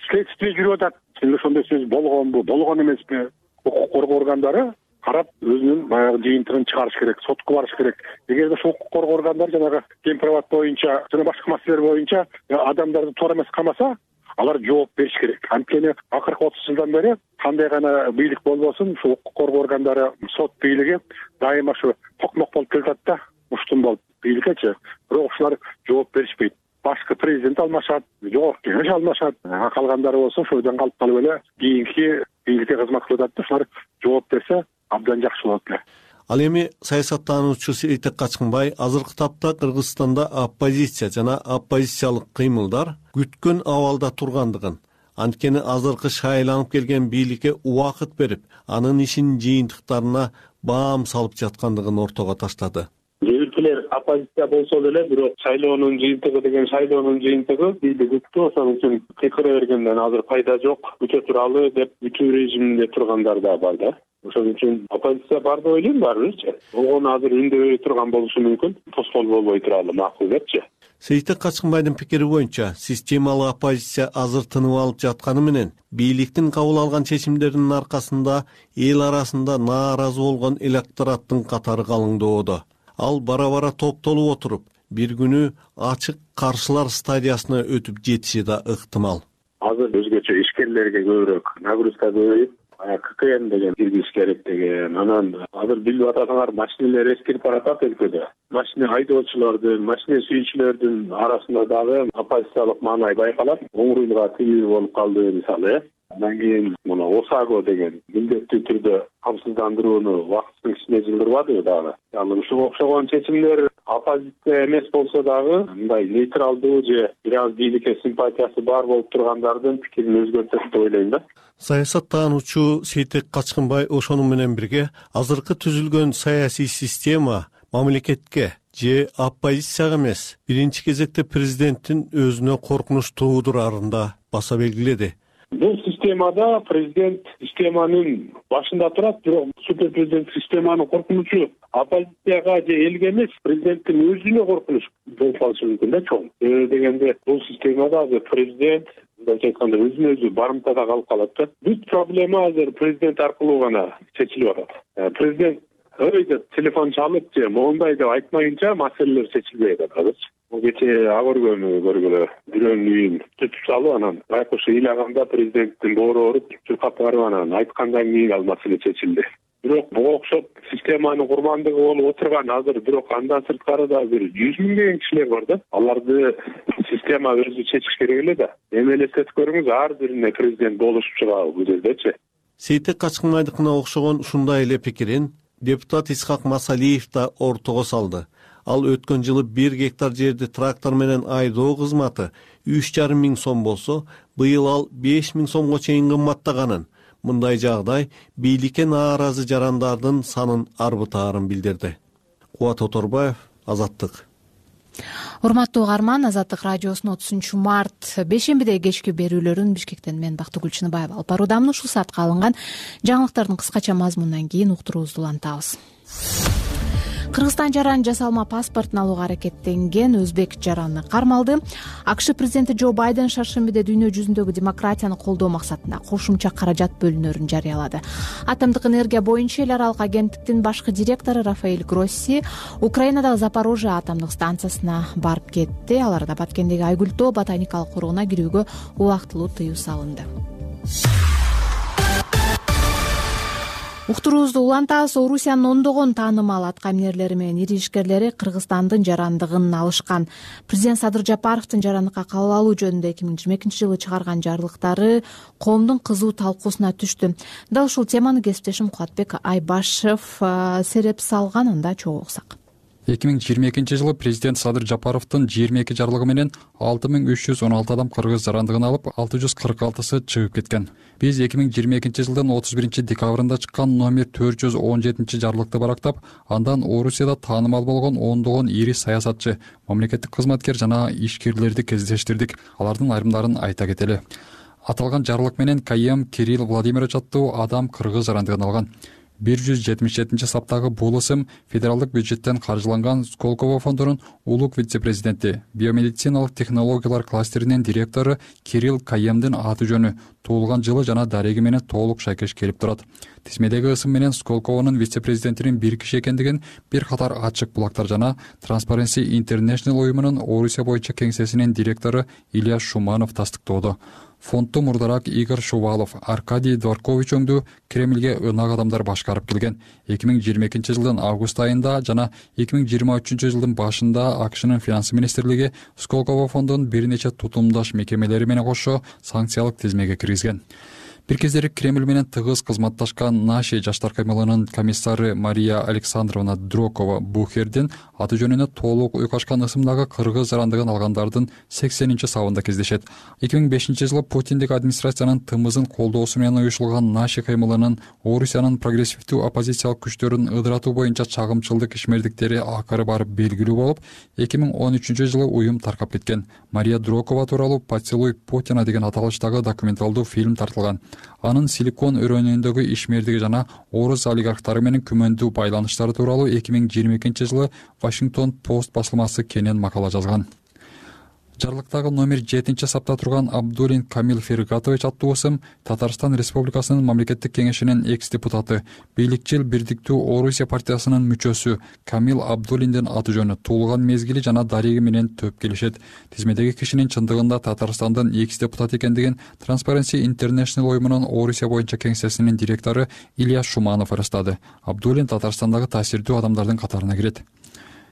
Следствие жүрүп атат. Ошондой сөз болгонбу, болгон эмеспи? Укук коргоо органдары карап өзүнүн баягы жыйынтыгын чыгарыш керек, сотко барыш керек. Эгерде ошол укук коргоо органдары жанагы Гемпирабад боюнча жана башка маселелер боюнча адамдарды туура эмес камаса, алар жооп бериш керек. Анткени акыркы отуз жылдан бери кандай гана бийлик болбосун, ушул укук коргоо органдары, сот бийлиги дайыма ушу токмок болуп келатат да, уштун болуп бийликкечи. Бирок ушулар жооп беришпейт. Башкы президент алмашат, жогорку кеңеш алмашат, калгандары болсо ошол жерден калып калып эле кийинки бийликке кызмат кылып атат. Ушулар жооп берсе абдан жакшы болот эле. Ал эми саясаттануучу Сейтек Качкынбай азыркы тапта Кыргызстанда оппозиция жана оппозициялык кыймылдар күткөн абалда тургандыгын, анткени азыркы шайланып келген бийликке убакыт берип, анын ишинин жыйынтыктарына баам салып жаткандыгын ортого таштады. Кээ оппозиция болсо деле, бирок шайлоонун жыйынтыгы деген шайлоонун жыйынтыгы бизди күттү, ошон үчүн кыйкыра бергенден азыр пайда жок, күтө туралы деп күтүү режиминде тургандар да бар да. Ошон үчүн оппозиция бар деп ойлойм баарыбызчы. Болгону азыр үндөбөй турган болушу мүмкүн, тоскоол болбой туралы макул депчи. Сейтек Качкынбайдын пикири боюнча, системалык оппозиция азыр тынып алып жатканы менен, бийликтин кабыл алган чечимдеринин аркасында эл арасында нааразы болгон электораттын катары калыңдоодо. Ал бара-бара топтолуп отуруп, бир күнү ачык каршылар стадиясына өтүп жетиши да ыктымал. Азыр өзгөчө ишкерлерге көбүрөөк нагрузка көбөйүп, ККН деген киргизиш керек деген. Анан азыр билип атасыңар, машиналар эскирип баратат өлкөдө. Машина айдоочулардын, машина сүйүүчүлөрдүн арасында дагы оппозициялык маанай байкалат. Оңруйга тилүү болуп калды мисалы, э. Андан кийин мына ОСАГО деген милдеттүү түрдө камсыздандырууну убактысынын ичине жылдырбадыбы дагы. Ал ушуга окшогон чечимдер оппозиция эмес болсо дагы мындай нейтралдуу же бир аз бийликке симпатиясы бар болуп тургандардын пикирин өзгөртөт деп ойлойм да. Саясаттануучу Сейтек Качкынбай ошону менен бирге азыркы түзүлгөн саясий система мамлекетке же оппозицияга эмес, биринчи кезекте президенттин өзүнө коркунуч туудурарын да баса белгиледи. Бул системада президент системанын башында турат, бирок супер президент системанын коркунучу оппозицияга же элге эмес, президенттин өзүнө коркунуч болуп калышы мүмкүн да чоң. Себеби дегенде бул системада азыр президент мындайча айтканда өзүнө өзү барымтада калып калат да. Бүт проблема азыр президент аркылуу гана чечилип атат. Президент ой деп телефон чалып же моундай деп айтмайынча маселелер чечилбей атат азырчы. Кечээ агөргөнү көргүлө, бирөөнүн үйүн түтүп салып, анан байкуш ыйлаганда президенттин боору ооруп чуркап барып анан айткандан кийин ал маселе чечилди. Бирок буга окшоп системанын курмандыгы болуп отурган азыр бирок андан сырткары да бир жүз миңдеген кишилер бар да. Аларды система өзү чечиш керек эле да. Эми элестетип көрүңүз, ар бирине президент болушуп чыгабы бул жердечи. Сейтек Качкынбайдыкына окшогон ушундай эле пикирин депутат Исхак Масалиев да ортого салды. Ал өткөн жылы бир гектар жерди трактор менен айдоо кызматы үч жарым миң сом болсо, быйыл ал беш миң сомго чейин кымбаттаганын. Мындай жагдай бийликке нааразы жарандардын санын арбытаарын билдирди. Кубат Оторбаев, Азаттык. Урматтуу угарман, Азаттык радиосунун отузунчу март бешембиде кечки берүүлөрүн Бишкектен мен Бактыгүл Чыныбаева алып баруудамын. Ушул саатка алынган жаңылыктардын кыскача мазмунунан кийин уктуруубузду улантабыз. Кыргызстан жаран жасалма паспортун алууга аракеттенген өзбек жараны кармалды. АКШ президенти Джо Байден шаршембиде дүйнө жүзүндөгү демократияны колдоо максатында кошумча каражат бөлүнөрүн жарыялады. Атомдук энергия боюнча эл аралык агенттиктин башкы директору Рафаэль Гросси Украинадагы Запорожье атомдук станциясына барып кетти. Аларда Баткендеги Айгүл-тоо ботаникалык коргоуна кирүүгө убактылуу тыюу салынды. Уктуруубузду улантабыз. Орусиянын ондогон таанымал аткаминерлери менен ири ишкерлери Кыргызстандын жарандыгын алышкан. Президент Садыр Жапаровдун жарандыкка кабыл алуу жөнүндө эки миң жыйырма экинчи жылы чыгарган жарлыктары коомдун кызуу талкуусуна түштү. Дал ушул теманы кесиптешим Кубатбек Айбашев сереп салган, анда чогуу уксак. эки миң жыйырма экинчи жылы президент Садыр Жапаровдун жыйырма эки жарлыгы менен алты миң үч жүз он алты адам кыргыз жарандыгын алып, алты жүз кырк алтысы чыгып кеткен. Биз эки миң жыйырма экинчи жылдын отуз биринчи декабрында чыккан номер төрт жүз он жетинчи жарлыкты барактап, андан Орусияда таанымал болгон ондогон ири саясатчы, мамлекеттик кызматкер жана ишкерлерди кездештирдик. Алардын айрымдарын айта кетели. Аталган жарлык менен Кайем Кирилл Владимирович аттуу адам кыргыз жарандыгын алган. бир жүз жетимиш жетинчи саптагы бул ысым федералдык бюджеттен каржыланган Сколково фондунун улук вице-президенти, биомедициналык технологиялар кластеринин директору Кирилл Каемдин аты жөнү, туулган жылы жана дареги менен толук шайкеш келип турат. Тизмедеги ысым менен Сколковонун вице-президентинин бир киши экендигин бир катар ачык булактар жана Transparency International уюмунун Орусия боюнча кеңсесинин директору Илья Шуманов тастыктоодо. Фондду мурдарак Игорь Шувалов, Аркадий Дворкович өңдүү Кремльге ынак адамдар башкарып келген. эки миң жыйырма экинчи жылдын август айында жана эки миң жыйырма үчүнчү жылдын башында АКШнын финансы министрлиги Сколково фондунун бир нече тутумдаш мекемелери менен кошо санкциялык тизмеге киргизген. Бир кездери Кремль менен тыгыз кызматташкан Наши жаштар каймылынын комиссары Мария Александровна Дрокова Бухердин аты жөнүнө толук уйкашкан ысымдагы кыргыз жарандыгын алгандардын сексенинчи сабында кездешет. эки миң бешинчи жылы Путиндик администрациянын тымызын колдоосу менен уюшулган Наши каймылынын Орусиянын прогрессивдүү оппозициялык күчтөрүн ыдыратуу боюнча чагымчылдык ишмердиктери акыры барып белгилүү болуп, эки миң он үчүнчү жылы уюм таркап кеткен. Мария Дрокова тууралуу «Поцелуй Путина» деген аталыштагы документалдуу фильм тартылган. Анын Силикон өрөөнүндөгү ишмердиги жана орус олигархтары менен күмөндүү байланыштары тууралуу эки миң жыйырма экинчи жылы Вашингтон Пост басылмасы кенен макала жазган. жарлыктагы номер жетинчи сапта турган Абдулин Камил Фергатович аттуу ысым Татарстан Республикасынын мамлекеттик кеңешинин экс депутаты, бийликчил Бирдиктүү Орусия партиясынын мүчөсү Камил Абдулиндин аты жөнү, туулган мезгили жана дареги менен төп келишет. Тизмедеги кишинин чындыгында Татарстандын экс депутат экендигин Transparency International оюмунун Орусия боюнча кеңсесинин директору Илья Шуманов ырастады. Абдулин Татарстандагы таасирдүү адамдардын катарына кирет.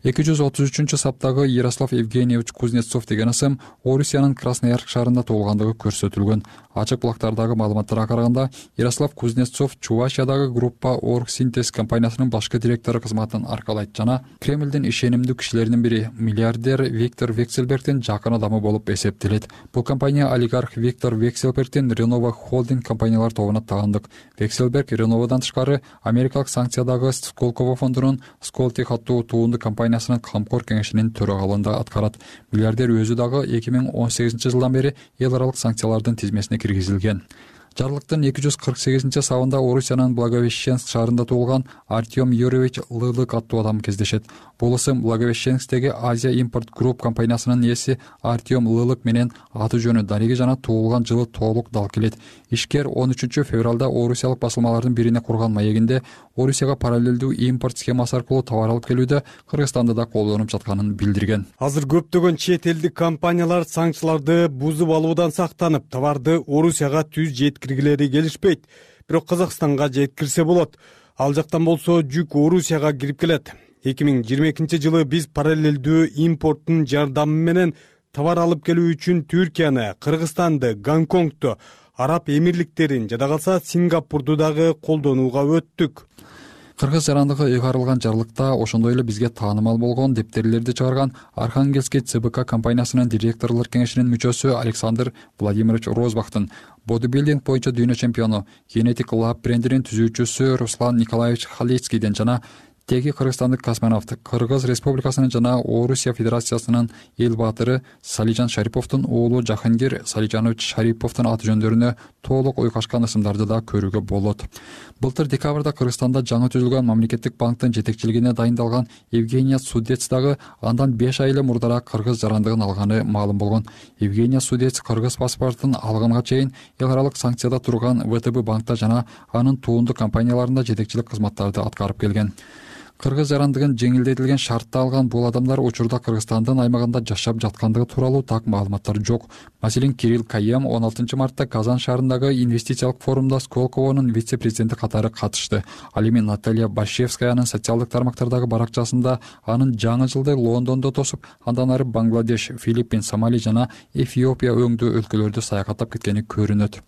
эки жүз отуз үчүнчү саптагы Ярослав Евгеньевич Кузнецов деген ысым Орусиянын Красноярск шаарында туулгандыгы көрсөтүлгөн. Ачык булактардагы маалыматтарга караганда Ярослав Кузнецов Чувашиядагы группа Оргсинтез компаниясынын башкы директору кызматын аркалайт жана Кремлдин ишенимдүү кишилеринин бири миллиардер Виктор Вексельбергдин жакын адамы болуп эсептелет. Бул компания олигарх Виктор Вексельбергдин Renova Холдинг компаниялар тобуна таандык. Вексельберг Реновадан тышкары америкалык санкциядагы Сколково фондунун Сколтех аттуу туунду компаниясынын камкор кеңешинин төрагалыгында аткарат. Миллиардер өзү дагы эки миң он сегизинчи жылдан бери эл аралык санкциялардын тизмесине киргизилген. Жарлыктын эки жүз кырк сегизинчи сабында Орусиянын Благовещенск шаарында туулган Артем Юрьевич Лылык аттуу адам кездешет. Бул ысым Благовещенскдеги Азия Импорт Групп компаниясынын ээси Артем Лылык менен аты жөнү, дареги жана туулган жылы толук дал келет. Ишкер он үчүнчү февралда Орусиялык басылмалардын бирине курган маегинде Орусияга параллелдүү импорт схемасы аркылуу товар алып келүүдө Кыргызстанды да колдонуп жатканын билдирген. Азыр көптөгөн чет элдик компаниялар санкцияларды бузуп алуудан сактанып, товарды Орусияга түз жеткиргилери келишпейт. Бирок Казакстанга жеткирсе болот. Ал жактан болсо жүк Орусияга кирип келет. эки миң жыйырма экинчи жылы биз параллелдүү импорттун жардамы менен товар алып келүү үчүн Түркияны, Кыргызстанды, Гонконгду, Араб Эмирликтерин жада калса Сингапурду дагы колдонууга өттүк. Кыргыз жарандыгы ыйгарылган жарлыкта ошондой эле бизге таанымал болгон дептерлерди чыгарган Архангельский ЦБК компаниясынын директорлор кеңешинин мүчөсү Александр Владимирович Розбахтын, бодибилдинг боюнча дүйнө чемпиону, Genetic Lab брендинин түзүүчүсү Руслан Николаевич Халицкийден жана теги кыргызстандык космонавт, Кыргыз Республикасынын жана Орусия Федерациясынын эл баатыры Салижан Шариповдун уулу Жахангир Салижанович Шариповдун аты жөндөрүнө толук уйкашкан ысымдарды да көрүүгө болот. Былтыр декабрда Кыргызстанда жаңы түзүлгөн мамлекеттик банктын жетекчилигине дайындалган Евгения Судец дагы андан беш ай эле мурдараак кыргыз жарандыгын алганы маалым болгон. Евгения Судец кыргыз паспортун алганга чейин эл аралык санкцияда турган ВТБ банкта жана анын туунду компанияларында жетекчилик кызматтарды аткарып келген. Кыргыз жарандыгын жеңилдетилген шартта алган бул адамдар учурда Кыргызстандын аймагында жашап жаткандыгы тууралуу так маалыматтар жок. Маселен, Кирилл Каем он алтынчы мартта Казан шаарындагы инвестициялык форумда Сколковонун вице-президенти катары катышты. Ал эми Наталья Башевскаянын социалдык тармактардагы баракчасында анын жаңы жылды Лондондо тосуп, андан ары Бангладеш, Филиппин, Сомали жана Эфиопия өңдүү өлкөлөрдү саякаттап кеткени көрүнөт.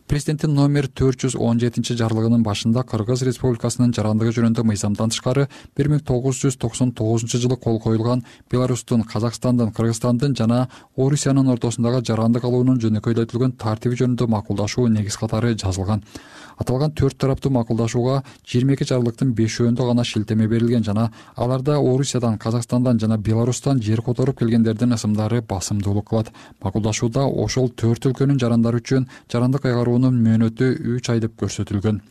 Президенттин номер төрт жүз он жетинчи жарлыгынын башында Кыргыз Республикасынын жарандыгы жөнүндө мыйзамдан тышкары бир миң тогуз жүз токсон тогузунчу жылы кол коюлган Беларустун, Казакстандын, Кыргызстандын жана Орусиянын ортосундагы жарандык алуунун жөнөкөйлөтүлгөн тартиби жөнүндө макулдашуу негиз катары жазылган. Аталган төрт тараптуу макулдашууга жыйырма эки жарлыктын бешөөндө гана шилтеме берилген жана аларда Орусиядан, Казакстандан жана Беларустан жер которуп келгендердин ысымдары басымдуулук кылат. Макулдашууда ошол төрт өлкөнүн жарандары үчүн жарандык айгаруунун мөөнөтү үч ай деп көрсөтүлгөн.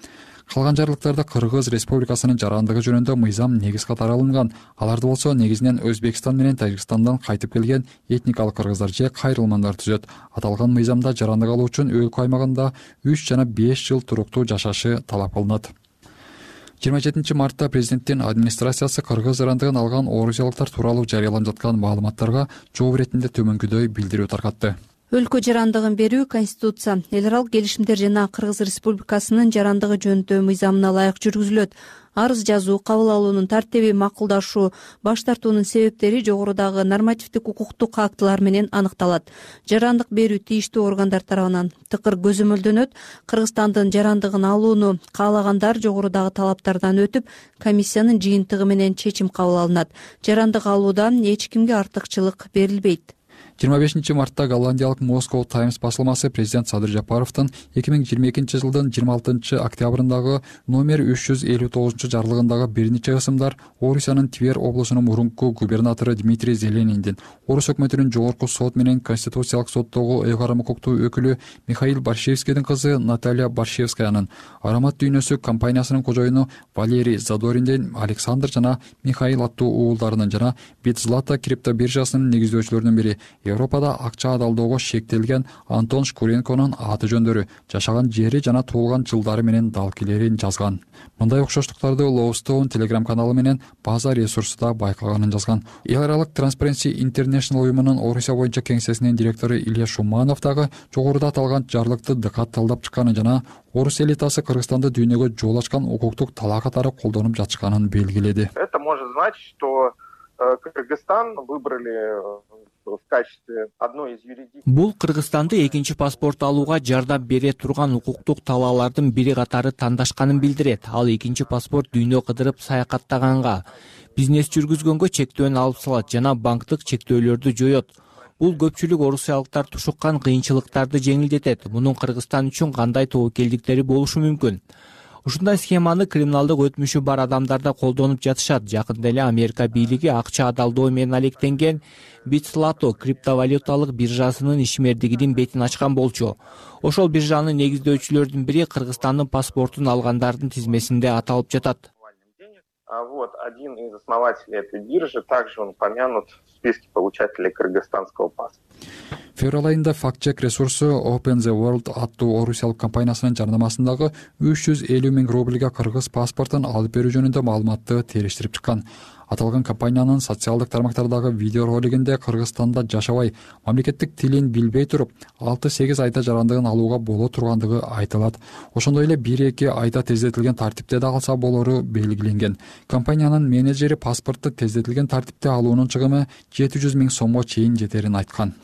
Калган жарлыктарда Кыргыз Республикасынын жарандыгы жөнүндө мыйзам негиз катары алынган. Аларды болсо негизинен Өзбекстан менен Тажикстандан кайтып келген этникалык кыргыздар же кайрылмандар түзөт. Аталган мыйзамда жарандык алуу үчүн өлкө аймагында үч жана беш жыл туруктуу жашашы талап кылынат. жыйырма жетинчи мартта президенттин администрациясы кыргыз жарандыгын алган орусиялыктар тууралуу жарыяланып жаткан маалыматтарга жооп иретинде төмөнкүдөй билдирүү таркатты. Өлкө жарандыгын берүү Конституция, эл аралык келишимдер жана Кыргыз Республикасынын жарандыгы жөнүндө мыйзамына ылайык жүргүзүлөт. Арыз жазуу, кабыл алуунун тартиби, макулдашуу, баш тартуунун себептери жогорудагы нормативдик укуктук актылар менен аныкталат. Жарандык берүү тийиштүү органдар тарабынан тыкыр көзөмөлдөнөт. Кыргызстандын жарандыгын алууну каалагандар жогорудагы талаптардан өтүп, комиссиянын жыйынтыгы менен чечим кабыл алынат. Жарандык алуудан эч кимге артыкчылык берилбейт. жыйырма бешинчи мартта голландиялык Moscow Times басылмасы президент Садыр Жапаровдун эки миң жыйырма экинчи жылдын жыйырма алтынчы октябрындагы номер үч жүз элүү тогузунчу жарлыгындагы бир нече ысымдар Орусиянын Тver облусунун мурунку губернатору Дмитрий Зелениндин, Орус өкмөтүнүн жогорку сот менен Конституциялык соттогу ыйгарым укуктуу өкүлү Михаил Баршевскийдин кызы Наталья Баршевскаянын, Аромат дүйнөсү компаниясынын кожоюну Валерий Задориндин, Александр жана Михаил аттуу уулдарынын жана Битзлата криптобиржасынын негиздөөчүлөрүнүн бири Европада акча адалдоого шектелген Антон Шкуренконун аты жөндөрү, жашаган жери жана туулган жылдары менен далкилерин жазган. Мындай окшоштуктарды Lowstone Telegram каналы менен база ресурсуда байкаганын жазган. Эл аралык Transparency International уюмунун Орусия боюнча кеңсесинин директору Илья Шуманов дагы жогоруда аталган жарлыкты дыкатталдап чыкканын жана орус элитасы Кыргызстанда дүйнөгө жол ачкан укуктук талаа катары колдонуп жатышканын белгиледи. Это может значить, что Кыргызстан выбрали в качестве одной из юридических. Бул Кыргызстанды экинчи паспорт алууга жардам бере турган укуктук талаалардын бири катары тандашканын билдирет. Ал экинчи паспорт дүйнө кыдырып саякаттаганга, бизнес жүргүзгөнгө чектөөнү алып салат жана банктык чектөөлөрдү жоет. Бул көпчүлүк орусиялыктар тушуккан кыйынчылыктарды жеңилдетет. Мунун Кыргызстан үчүн кандай тобокелдиктери болушу мүмкүн? Ушундай схеманы криминалдык өтмүшү бар адамдар да колдонуп жатышат. Жакында эле Америка бийлиги акча адалдоо менен алектенген BitSlato криптовалюталык биржасынын ишмердигинин бетин ачкан болчу. Ошол биржанын негиздөөчүлөрдүн бири Кыргызстандын паспортун алгандардын тизмесинде аталып жатат. Вот один из основателей этой биржи, также он помянут в списке получателей кыргызстанского паспорта. Февраль айында факт-чек ресурсу Open the World аттуу орусиялык компаниясынын жарнамасындагы үч жүз элүү миң рубльга кыргыз паспортун алып берүү жөнүндө маалыматты териштирип чыккан. Аталган компаниянын социалдык тармактардагы видео ролигинде Кыргызстанда жашабай, мамлекеттик тилин билбей туруп, алты сегиз айда жарандыгын алууга боло тургандыгы айтылат. Ошондой эле бир эки айда тездетилген тартипте да алса болору белгиленген. Компаниянын менеджери паспортты тездетилген тартипте алуунун чыгымы жети жүз миң сомго чейин жетерин айткан.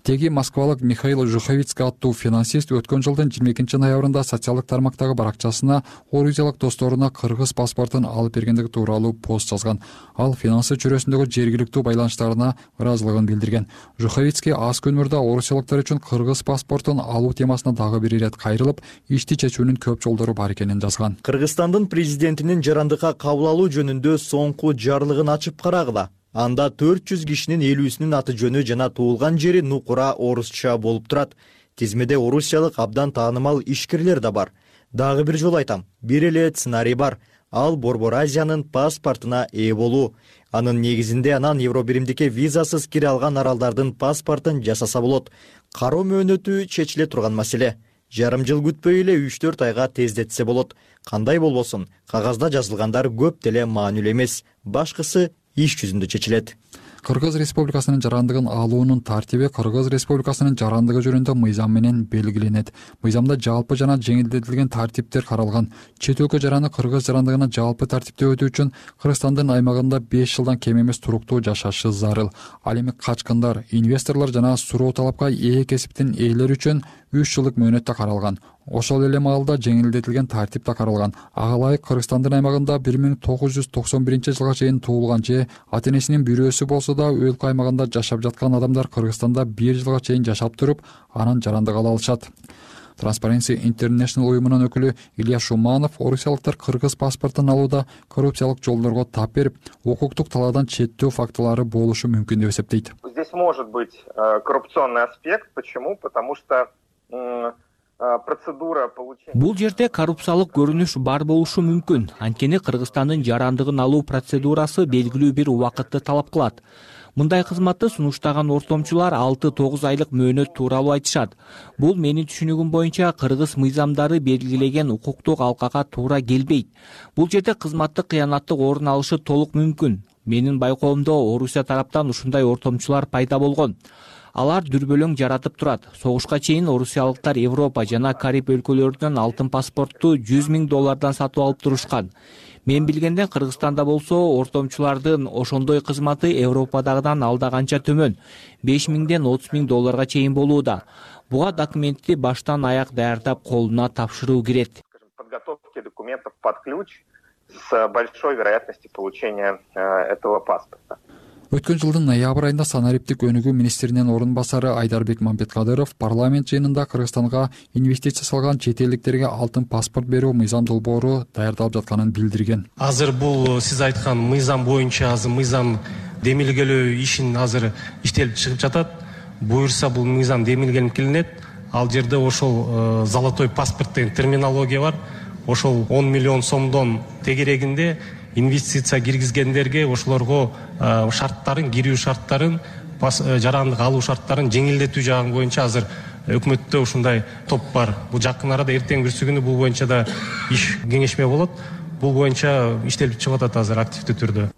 Теги москвалык Михаил Жуховицкий аттуу финансист өткөн жылдын жыйырма экинчи ноябрында социалдык тармактагы баракчасына орусиялык досторуна кыргыз паспортун алып бергендиги тууралуу пост жазган. Ал финансы чөйрөсүндөгү жергиликтүү байланыштарына ыраазылыгын билдирген. Жуховицкий аз күн мурда орусиялыктар үчүн кыргыз паспортун алуу темасына дагы бир ирет кайрылып, ишти чечүүнүн көп жолдору бар экенин жазган. Кыргызстандын президентинин жарандыкка кабыл алуу жөнүндө соңку жарлыгын ачып карагыла. Анда төрт жүз кишинин элүүсүнүн аты жөнү жана туулган жери нукура орусча болуп турат. Тизмеде орусиялык абдан таанымал ишкерлер да бар. Дагы бир жолу айтам, бир эле сценарий бар. Ал Борбор Азиянын паспортуна ээ болуу. Анын негизинде анан Евробиримдикке визасыз кире алган аралдардын паспортун жасаса болот. Кароо мөөнөтү чечиле турган маселе. Жарым жыл күтпөй эле үч төрт айга тездетсе болот. Кандай болбосун, кагазда жазылгандар көп деле маанилүү эмес. Башкысы иш жүзүндө чечилет. Кыргыз Республикасынын жарандыгын алуунун тартиби Кыргыз Республикасынын жарандыгы жөнүндө мыйзам менен белгиленет. Мыйзамда жалпы жана жеңилдетилген тартиптер каралган. Чет өлкө жараны Кыргыз жарандыгына жалпы тартипте өтүү үчүн Кыргызстандын аймагында беш жылдан кем эмес туруктуу жашашы зарыл. Ал эми качкындар, инвесторлор жана суроо талапка ээ кесиптин ээлери үчүн үч жылдык мөөнөттө каралган. Ошол эле маалда жеңилдетилген тартип да каралган. Ага ылайык Кыргызстандын аймагында бир миң тогуз жүз токсон биринчи жылга чейин туулган же ата энесинин бирөөсү болсо да өлкө аймагында жашап жаткан адамдар Кыргызстанда бир жылга чейин жашап туруп, анан жарандык ала алышат. Transparency International уюмунун өкүлү Илья Шуманов орусиялыктар кыргыз паспортун алууда коррупциялык жолдорго тап берип, укуктук талаадан четтөө фактылары болушу мүмкүн деп эсептейт. Здесь может быть коррупционный аспект. Почему? Потому что процедура получения. Бул жерде коррупциялык көрүнүш бар болушу мүмкүн. Анткени Кыргызстандын жарандыгын алуу процедурасы белгилүү бир убакытты талап кылат. Мындай кызматты сунуштаган ортомчулар алты тогуз айлык мөөнөт тууралуу айтышат. Бул менин түшүнүгүм боюнча кыргыз мыйзамдары белгилеген укуктук алкага туура келбейт. Бул жерде кызматтык кыянаттык орун алышы толук мүмкүн. Менин байкоомдо Орусия тараптан ушундай ортомчулар пайда болгон. Алар дүрбөлөң жаратып турат. Согушка чейин орусиялыктар Европа жана Кариб өлкөлөрүнөн алтын паспортту жүз миң доллардан сатып алып турушкан. Мен билгенден Кыргызстанда болсо ортомчулардын ошондой кызматы Европадагыдан алда канча төмөн, беш миңден отуз миң долларга чейин болууда. Буга документти баштан аяк даярдап колуна тапшыруу кирет. Подготовки документов под ключ с большой вероятностью получения этого паспорта. Өткөн жылдын ноябрь айында санариптик өнүгүү министринин орун басары Айдарбек Мамбеткадыров парламент жыйынында Кыргызстанга инвестиция салган чет элдиктерге алтын паспорт берүү мыйзам долбоору даярдалып жатканын билдирген. Азыр бул сиз айткан мыйзам боюнча азыр мыйзам демилгелөө ишин азыр иштелип чыгып жатат. Буюрса бул мыйзам демилгелип келинет. Ал жерде ошол золотой паспорт деген терминология бар. Ошол он миллион сомдон тегерегинде инвестиция киргизгендерге ошолорго шарттарын, кирүү шарттарын жарандык алуу шарттарын жеңилдетүү жагы боюнча азыр өкмөттө ушундай топ бар. Бул жакын арада эртең бүрсү күнү бул боюнча да иш кеңешме болот. Бул боюнча иштелип чыгып атат азыр активдүү түрдө.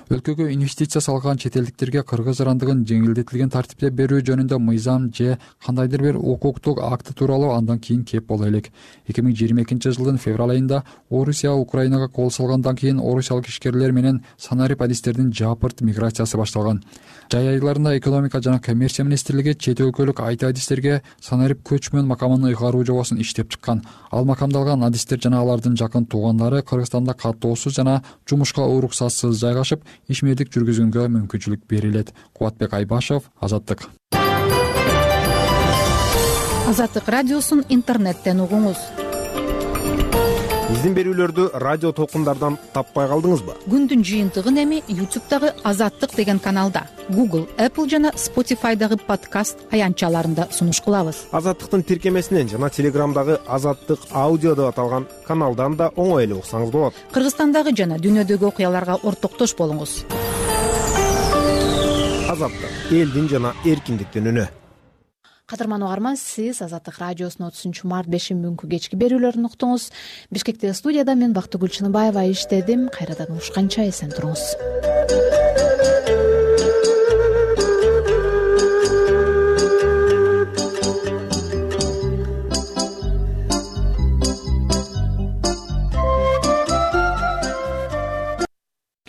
Өлкөгө инвестиция салган чет элдиктерге кыргыз жарандыгын жеңилдетилген тартипте берүү жөнүндө мыйзам же кандайдыр бир укуктук акты тууралуу андан кийин кеп боло элек. эки миң жыйырма экинчи жылдын февраль айында Орусия Украинага кол салгандан кийин орусиялык ишкерлер менен санарип адистердин жапырт миграциясы башталган. Жай айларында экономика жана коммерция министрлиги чет өлкөлүк айти адистерге санарип көчмөн макамын ыйгаруу жобосун иштеп чыккан. Ал макамдалган адистер жана алардын жакын туугандары Кыргызстанда каттоосуз жана жумушка уруксатсыз жайгашып, ишмердик жүргүзгөнгө мүмкүнчүлүк берилет. Кубатбек Айбашев, Азаттык. Азаттык радиосун интернеттен угуңуз. Биздин берүүлөрдү радио толкундардан таппай калдыңызбы? Күндүн жыйынтыгын эми YouTube'дагы Азаттык деген каналда, Google, Apple жана Spotify'дагы подкаст аянтчаларында сунуш кылабыз. Азаттыктын тиркемесинен жана Телеграмдагы Азаттык аудио деп аталган каналдан да оңой эле уксаңыз болот. Кыргызстандагы жана дүйнөдөгү окуяларга ортоктош болуңуз. Азаттык элдин жана эркиндиктин үнү. Кадырман угарман, сиз Азаттык радиосунун отузунчу март бешинби күнкү кечки берүүлөрүн уктуңуз. Бишкектеги студияда мен Бактыгүл Чыныбаева иштедим. Кайрадан урушканча эсен туруңуз.